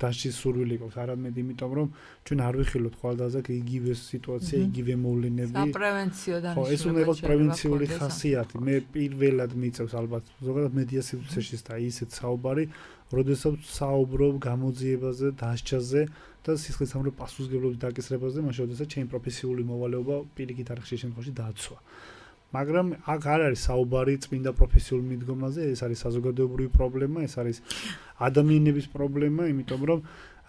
დასჯის სურვილი გვაქვს, არამედ იმიტომ, რომ ჩვენ არ ვიხილოთ ხვალდაზაკ იგივე სიტუაცია, იგივე მოვლენები. საპრევენციო დანიშნულება. ხო, ეს უნდა იყოს პრევენციული ხასიათი. მე პირველად მიწევს ალბათ ზოგადად მედიაციაშიც და ისეთ საუბარი, როდესაც საუბრობ გამოძიებაზე, დასჯაზე და სისხლის სამართლის პასუხისმგებლობის დაკისრებაზე, მაშინ როდესაც ჩემი პროფესიული მოვალეობა პირიქით არ ხშირ შემთხვევაში დააცვა. მაგრამ აქ არ არის საუბარი წმინდა პროფესიულ მიდგომაზე, ეს არის საზოგადოებრივი პრობლემა, ეს არის ადამიანების პრობლემა, იმიტომ რომ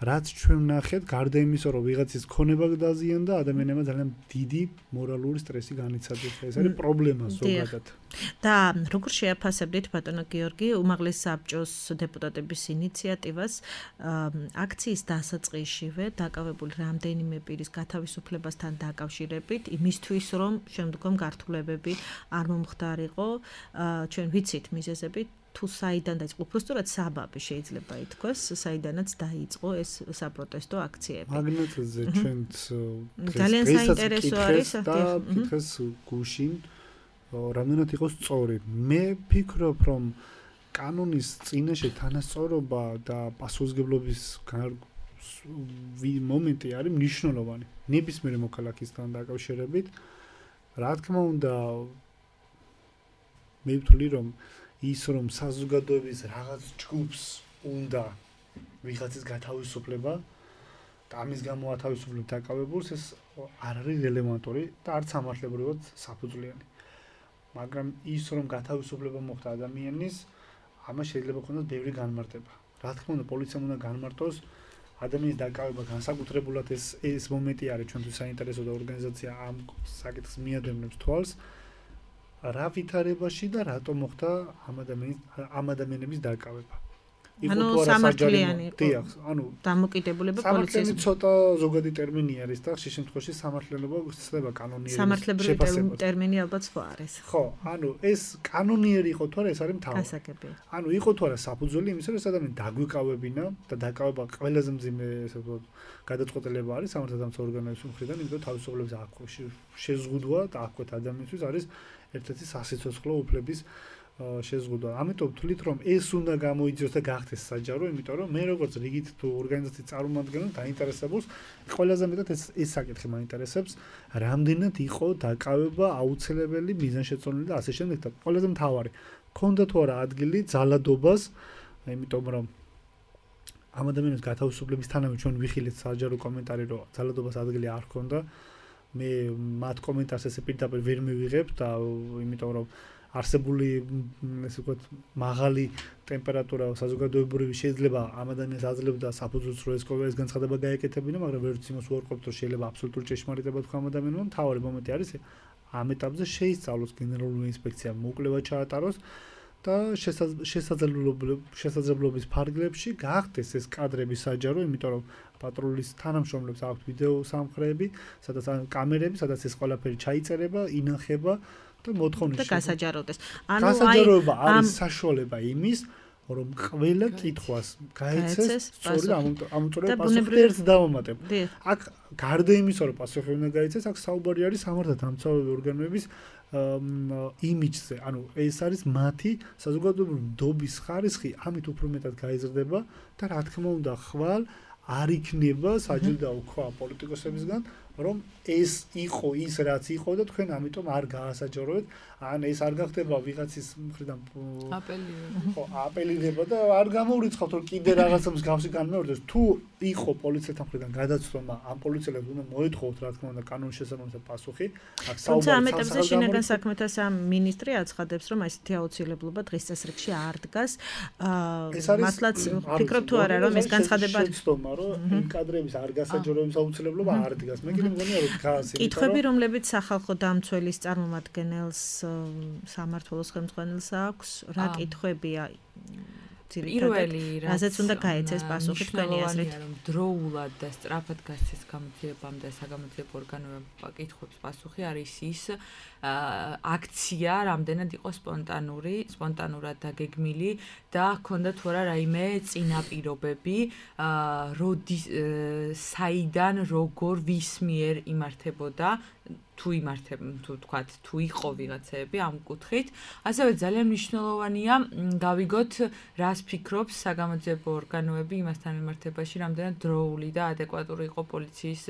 რაც ჩვენ ვნახეთ, გარდა იმისა, რომ ვიღაცის ქონება დაზიანდა, ადამიანებმა ძალიან დიდი მორალური სტრესი განიცადეს. ეს არის პრობლემა ზოგადად. და როგორ შეაფასებდით ბატონო გიორგი უმაღლეს საბჭოს დეპუტატების ინიციატივას აქციის დასაწყისშივე დაკავებული რამდენიმე პირის გათავისუფლებასთან დაკავშირებით იმისთვის, რომ შემდგომ გართულებები არ მომხდარიყო, ჩვენ ვიცით მიზეზები თუ საიდან დაიწყო, უბრალოდ საბაბი შეიძლება ითქვას, საიდანაც დაიწყო ეს საპროტესტო აქციები. მაგნეტზე ჩვენც ძალიან საინტერესო არის და ფიქრეს გუშინ რამდენად იყოს სწორი. მე ვფიქრობ, რომ კანონის წინაშე თანასწორობა და პასუხისმგებლობის მომენტი არის მნიშვნელოვანი. ნებისმიერ მოქალაქისთან დაკავშირებით, რა თქმა უნდა, მე ვთვლი, რომ ის რომ საზოგადოების რაღაც ჯგუფს უნდა ვიღაცის გათავისუფლება და ამის გამო ათავისუფლებ დაკავებულს, ეს არ არის რელევანტური და არც სამართლებრივად საფუძვლიანი. მაგრამ ის რომ გათავისუფლება მოხდა ადამიანის, ამას შეიძლება ქონდეს ბევრი განმარტება. Რა თქმა უნდა, პოლიციამ უნდა განმარტოს ადამიანის დაკავება განსაკუთრებულად ეს ეს მომენტი არის ჩვენთვის საინტერესო და ორგანიზაცია ამ საკითხს მიადევნებს თვალს. რა ვითარებაში და რატომ მოხდა ამ ადამიანის ამ ადამიანების დაკავება. ანუ სამართლიანი დიახ, ანუ დამოკიდებულება პოლიციის. სამართლიანი ცოტა ზოგადი ტერმინი არის და ხშირ შემთხვევაში სამართლიანობა ხდება კანონიერი. სამართლებრივი ტერმინი ალბათ სხვა არის. ხო, ანუ ეს კანონიერი იყო თუ არა, ეს არის მთავარი. გასაგებია. ანუ იყო თუ არა საფუძველი იმისა, რომ ეს ადამიანი დაგვიკავებინა და დაკავება ყველაზე მძიმე ესე ვთქვათ გადაწყვეტილება არის სამართალდამცავ ორგანოების მხრიდან, იმიტომ რომ თავისუფლების აქვეშ შეზღუდვა და აქვეთ ადამიანისთვის არის ერთ-ერთი სასიცოცხლო უფლების შეზღუდვა. ამიტომ ვთვლით, რომ ეს უნდა გამოიძიოს და გახდეს საჯარო, იმიტომ რომ მე როგორც რიგით თუ ორგანიზაციის წარმომადგენელი დაინტერესებულს, ყველაზე მეტად ეს ეს საკითხი მაინტერესებს, რამდენად იყო დაკავება აუცილებელი მიზანშეწონილი და ასე შემდეგ და ყველაზე მთავარი, ქონდა თუ არა ადგილი ძალადობას, იმიტომ რომ ამ ადამიანის გათავისუფლებისთანავე ჩვენ ვიხილეთ საჯარო კომენტარი, რომ ძალადობას ადგილი არ ჰქონდა. მე მათ კომენტარს ესე პირდაპირ ვერ მივიღებ და იმიტომ რომ არსებული ესე ვთქვათ მაღალი ტემპერატურა საზოგადოებრივი შეიძლება ამ ადამიანს აძლევდა საფუძვლს რომ ეს ეს განცხადება გაეკეთებინა, მაგრამ ვერც იმას უარყოფთ რომ შეიძლება აბსოლუტური ჭეშმარიტება თქვა ამ ადამიანმა. მთავარი მომენტი არის ამ ეტაპზე შეისწავლოს გენერალური ინსპექცია მოკვლევა ჩაატაროს და შესაძლებლობის ფარგლებში გახდეს ეს კადრები საჯარო, იმიტომ რომ პატრულის თანამშრომლებს აქვთ ვიდეო სამხრები, სადაც კამერები, სადაც ეს ყველაფერი ჩაიწერება, ინახება და მოთხოვნის და გასაჯაროდეს. ანუ გასაჯაროება არის საშუალება იმის, რომ ყველა კითხვას გაეცეს სწორედ ამოწურება პასუხი ერთ დავამატებ. აქ გარდა იმისა, რომ პასუხი უნდა გაეცეს, აქ საუბარი არის სამართალდამცავი ორგანოების იმიჯზე. ანუ ეს არის მათი საზოგადოებრივი ნდობის ხარისხი, ამით უფრო მეტად გაიზრდება და რა თქმა უნდა, ხვალ არ იქნება საჯილდაო ქვა პოლიტიკოსებისგან, რომ ეს იყო ის რაც იყო და თქვენ ამიტომ არ გაასაჯაროეთ. ან ეს არ გახდება ვიღაცის მხრიდან აპელირება. ხო, აპელირება და არ გამოურიცხავთ რომ კიდე რაღაცა მსგავსი განმეორდეს. თუ იყო პოლიციასთან მხრიდან გადაცდომა, ამ პოლიციელებს უნდა მოეთხოვოთ რა თქმა უნდა კანონის შესაბამისად პასუხი. აქ საუბარი ამ ეტაპზე შინაგან საქმეთა სამინისტრი აცხადებს, რომ ესეთი აუცილებლობა დღის წესრიგში არ დგას. მართლაც ფიქრობ თუ არა რომ ეს განცხადება შეცდომა რომ იმ კადრების არ გასაჯაროების აუცილებლობა არ დგას. მე კიდე მგონია რომ დგას. კითხვები რომლებიც სახალხო დამცველის წარმომადგენელს სამართლოს ხელმძღვანელს აქვს, რა კითხვებია პირველი რაზეც უნდა გაეცეს პასუხი თქვენი აზრით, რომ დროულად და სწრაფად გასცეს გამოძიებამდე საგამოძიებო ორგანოებმა კითხვებს პასუხი არის ის აქცია რამდენად იყო სპონტანური, სპონტანურად დაგეგმილი და ჰქონდა თუ არა რაიმე წინაპირობები, როდის საიდან როგორ ვის მიერ იმართებოდა თუ იმართებ თუ თქვათ თუ იყო ვიღაცები ამ კუთხით. ასევე ძალიან მნიშვნელოვანია გავიგოთ რას ფიქრობს საგამოძიებო ორგანოები იმასთან მიმართებაში, რამდენად დროული და ადეკვატური იყო პოლიციის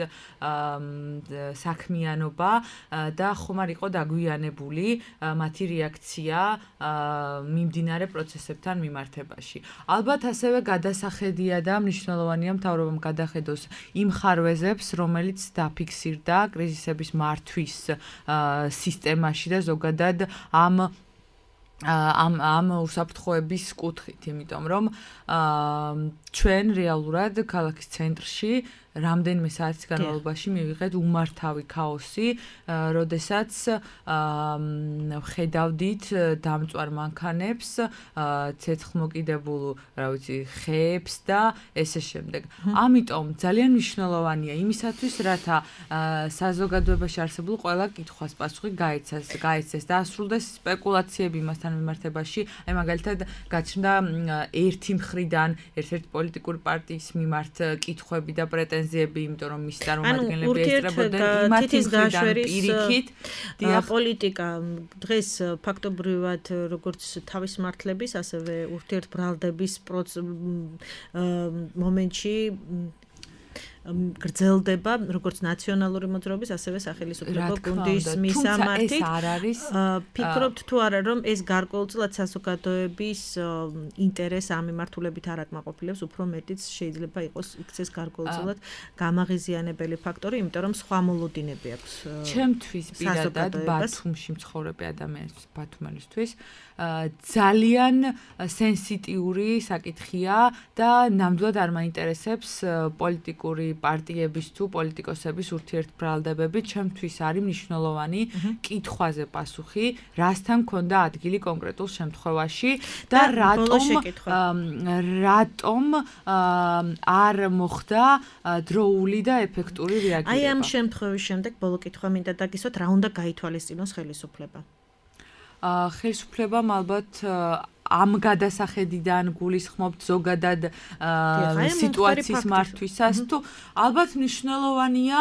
საქმიანობა და ხომ არ იყო დაგვიანებული მათი რეაქცია მიმდინარე პროცესებთან მიმართებაში. ალბათ ასევე გადასახედია და მნიშვნელოვანია მთავრობამ გადახედოს იმ ხარვეზებს, რომელიც დაფიქსირდა კრიზისების მართვის სისტემაში და ზოგადად ამ ამ ამ უსაფრთხოების კუთხით, იმიტომ რომ ჩვენ რეალურად ქალაქის ცენტრში რამდენიმე საათის განმავლობაში მივიღეთ უმართავი ქაოსი, როდესაც ხედავდით დამწვარ მანქანებს, ცეცხლმოკიდებულ, რა ვიცი, ხეებს და ესე შემდეგ. ამიტომ ძალიან მნიშვნელოვანია იმისათვის, რათა საზოგადოებაში არსებულ ყველა კითხვას პასუხი გაეცეს, გაეცეს და ასრულდეს სპეკულაციები იმასთან მიმართებაში. აი მაგალითად გაჩნდა ერთი მხრიდან ერთ-ერთი პოლიტიკური პარტიის მიმართ კითხვები და პრეტენზიები, იმიტომ რომ მის წარმომადგენლები ესწრებოდნენ იმათი მხრიდან პირიქით პოლიტიკა დღეს ფაქტობრივად როგორც თავის მართლების, ასევე ურთიერთბრალდების მომენტში გრძელდება როგორც ნაციონალური მოძრაობის, ასევე სახელმწიფო გუნდის მისამართი. ეს არ არის. ფიქრობთ თუ არა, რომ ეს გარკვეულწილად საზოგადოების ინტერესს ამ მიმართულებით არ აკმაყოფილებს, უფრო მეტიც შეიძლება იყოს იქცეს გარკვეულწილად გამაღიზიანებელი ფაქტორი, იმიტომ რომ სხვა მოლოდინები აქვს. ჩემთვის პირადად ბათუმში მცხოვრები ადამიანის ბათუმელისთვის ძალიან სენსიტიური საკითხია და ნამდვილად არ მაინტერესებს პოლიტიკური პარტიების თუ პოლიტიკოსების ურთიერთბრალდებები. ჩემთვის არის მნიშვნელოვანი კითხვაზე პასუხი, რასთან ქონდა ადგილი კონკრეტულ შემთხვევაში და რატომ რატომ არ მოხდა დროული და ეფექტური რეაგირება. აი ამ შემთხვევის შემდეგ ბოლო კითხვა მინდა დაგისვათ, რა უნდა გაითვალისწინოს ხელისუფლება? ხელისუფლებამ ალბათ ამ გადასახედიდან გულისხმობთ ზოგადად სიტუაციის მართვისას თუ ალბათ მნიშვნელოვანია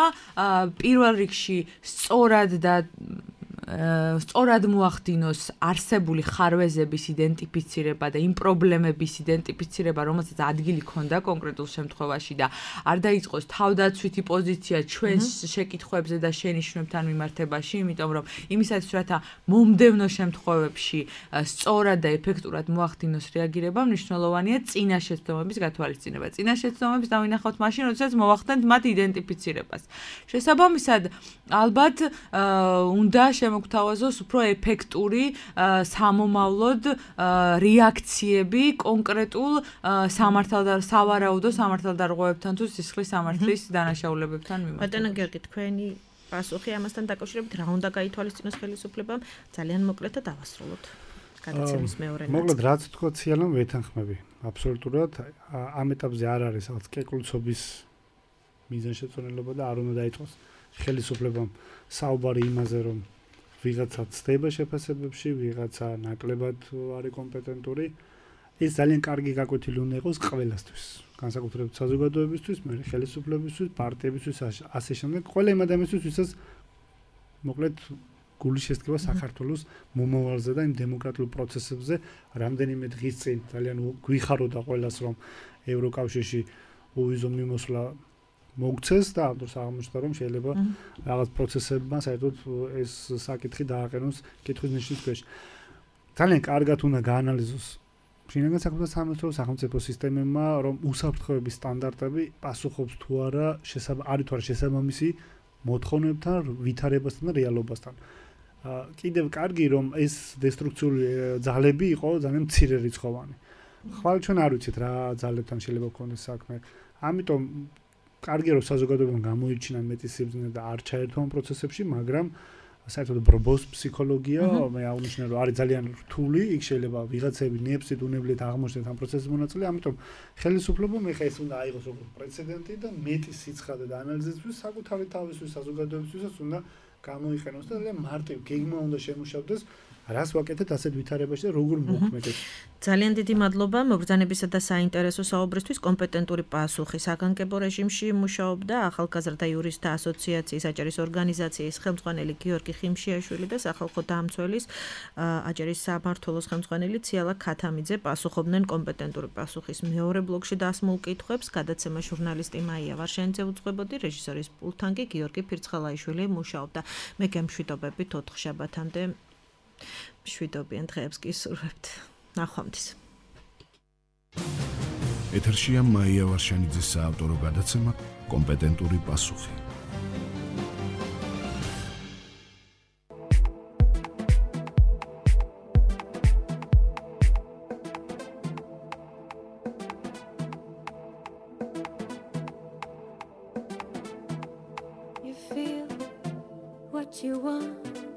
პირველ რიგში სწორად და სწორად მოახდინოს არსებული ხარვეზების იდენტიფიცირება და იმ პრობლემების იდენტიფიცირება, რომელსაც ადგილი ქონდა კონკრეტულ შემთხვევაში და არ დაიწყოს თავდაცვითი პოზიცია ჩვენს შეკითხვებზე და შენიშვნებთან მიმართებაში, იმიტომ რომ იმისათვის რათა მომდევნო შემთხვევებში სწორად და ეფექტურად მოახდინოს რეაგირება, მნიშვნელოვანია წინა შეცდომების გათვალისწინება. წინა შეცდომებს დავინახავთ მაშინ, როდესაც მოახდენთ მათ იდენტიფიცირებას. შესაბამისად, ალბათ უნდა მოგთავაზოს უფრო ეფექტური სამომავლოდ რეაქციები კონკრეტულ სამართალდარ სავარაუდო სამართალდარღვევებთან თუ სისხლის სამართლის დანაშაულებებთან მიმართ. ბატონო გიორგი, თქვენი პასუხი ამასთან დაკავშირებით რა უნდა გაითვალისწინოს ხელისუფლებამ? ძალიან მოკლედ და დავასრულოთ. გადაცემის მეორე ნაწილი. მოკლედ რაც თქვა ციანამ ვეთანხმები. აბსოლუტურად ამ ეტაპზე არ არის რაღაც კეკლუცობის მიზანშეწონილობა და არ უნდა დაიწყოს ხელისუფლებამ საუბარი იმაზე, რომ ვიღაცა ცდება შეფასებებში, ვიღაცა ნაკლებად არის კომპეტენტური. ეს ძალიან კარგი გაკვეთილი უნდა იყოს ყველასთვის, განსაკუთრებით საზოგადოებისთვის, მე ხელისუფლებისთვის, პარტიებისთვის, ასე შემდეგ, ყველა იმ ადამიანისთვის, ვისაც მოკლედ გული შესტკება საქართველოს მომავალზე და იმ დემოკრატიულ პროცესებზე. რამდენიმე დღის წინ ძალიან გვიხაროდა ყველას, რომ ევროკავშირში უვიზო მიმოსვლა მოგცეს და ამ დროს აღმოჩნდა, რომ შეიძლება რაღაც პროცესებმა საერთოდ ეს საკითხი დააყენოს კითხვის ნიშნის ქვეშ. ძალიან კარგად უნდა გაანალიზოს შინაგან საქმეთა სამინისტროს სახელმწიფო სისტემებმა, რომ უსაფრთხოების სტანდარტები პასუხობს თუ არა არის თუ არა შესაბამისი მოთხოვნებთან, ვითარებასთან და რეალობასთან. კიდევ კარგი რომ ეს დესტრუქციული ძალები იყო ძალიან მცირე რიცხოვანი. ხვალ ჩვენ არ ვიცით რა ძალებთან შეიძლება გქონდეს საქმე. ამიტომ კარგია რომ საზოგადოებამ გამოიჩინა მეტი სიბრძნე და არ ჩაერთო ამ პროცესებში, მაგრამ საერთოდ ბრბოს ფსიქოლოგია, მე აღნიშნე რომ არის ძალიან რთული, იქ შეიძლება ვიღაცები ნებსით უნებლეთ აღმოჩნდეთ ამ პროცესის მონაწილე, ამიტომ ხელისუფლებამ ეხა ეს უნდა აიღოს როგორც პრეცედენტი და მეტი სიცხადე და ანალიზისთვის საკუთარი თავისთვის საზოგადოებისთვისაც უნდა გამოიყენოს და ძალიან მარტივ გეგმა უნდა შემუშავდეს, რას ვაკეთებთ ასეთ ვითარებაში და როგორ მოხმედეთ. ძალიან დიდი მადლობა მოგზანებისა და საინტერესო საუბრისთვის. კომპეტენტური პასუხი საგანგებო რეჟიმში მუშაობდა ახალგაზრდა იურისტთა ასოციაციის აჭარის ორგანიზაციის ხელმძღვანელი გიორგი ხიმშიაშვილი და სახალხო დამცველის აჭარის სამმართველოს ხელმძღვანელი ციალა ქათამიძე პასუხობდნენ კომპეტენტური პასუხის მეორე ბლოკში დასმულ კითხვებს. გადაცემა ჟურნალისტი მაია ვარშენიძე უძღვებოდი, რეჟისორის პულტთან კი გიორგი ფირცხალაიშვილი მუშაობდა. მე გემშვიდობებით ოთხშაბათამდე მშვიდობიან დღეებს კი სურვებთ. ნახვამდის. ეთერშია მაია ვარშენიძის საავტორო გადაცემა კომპეტენტური პასუხი. You feel what you want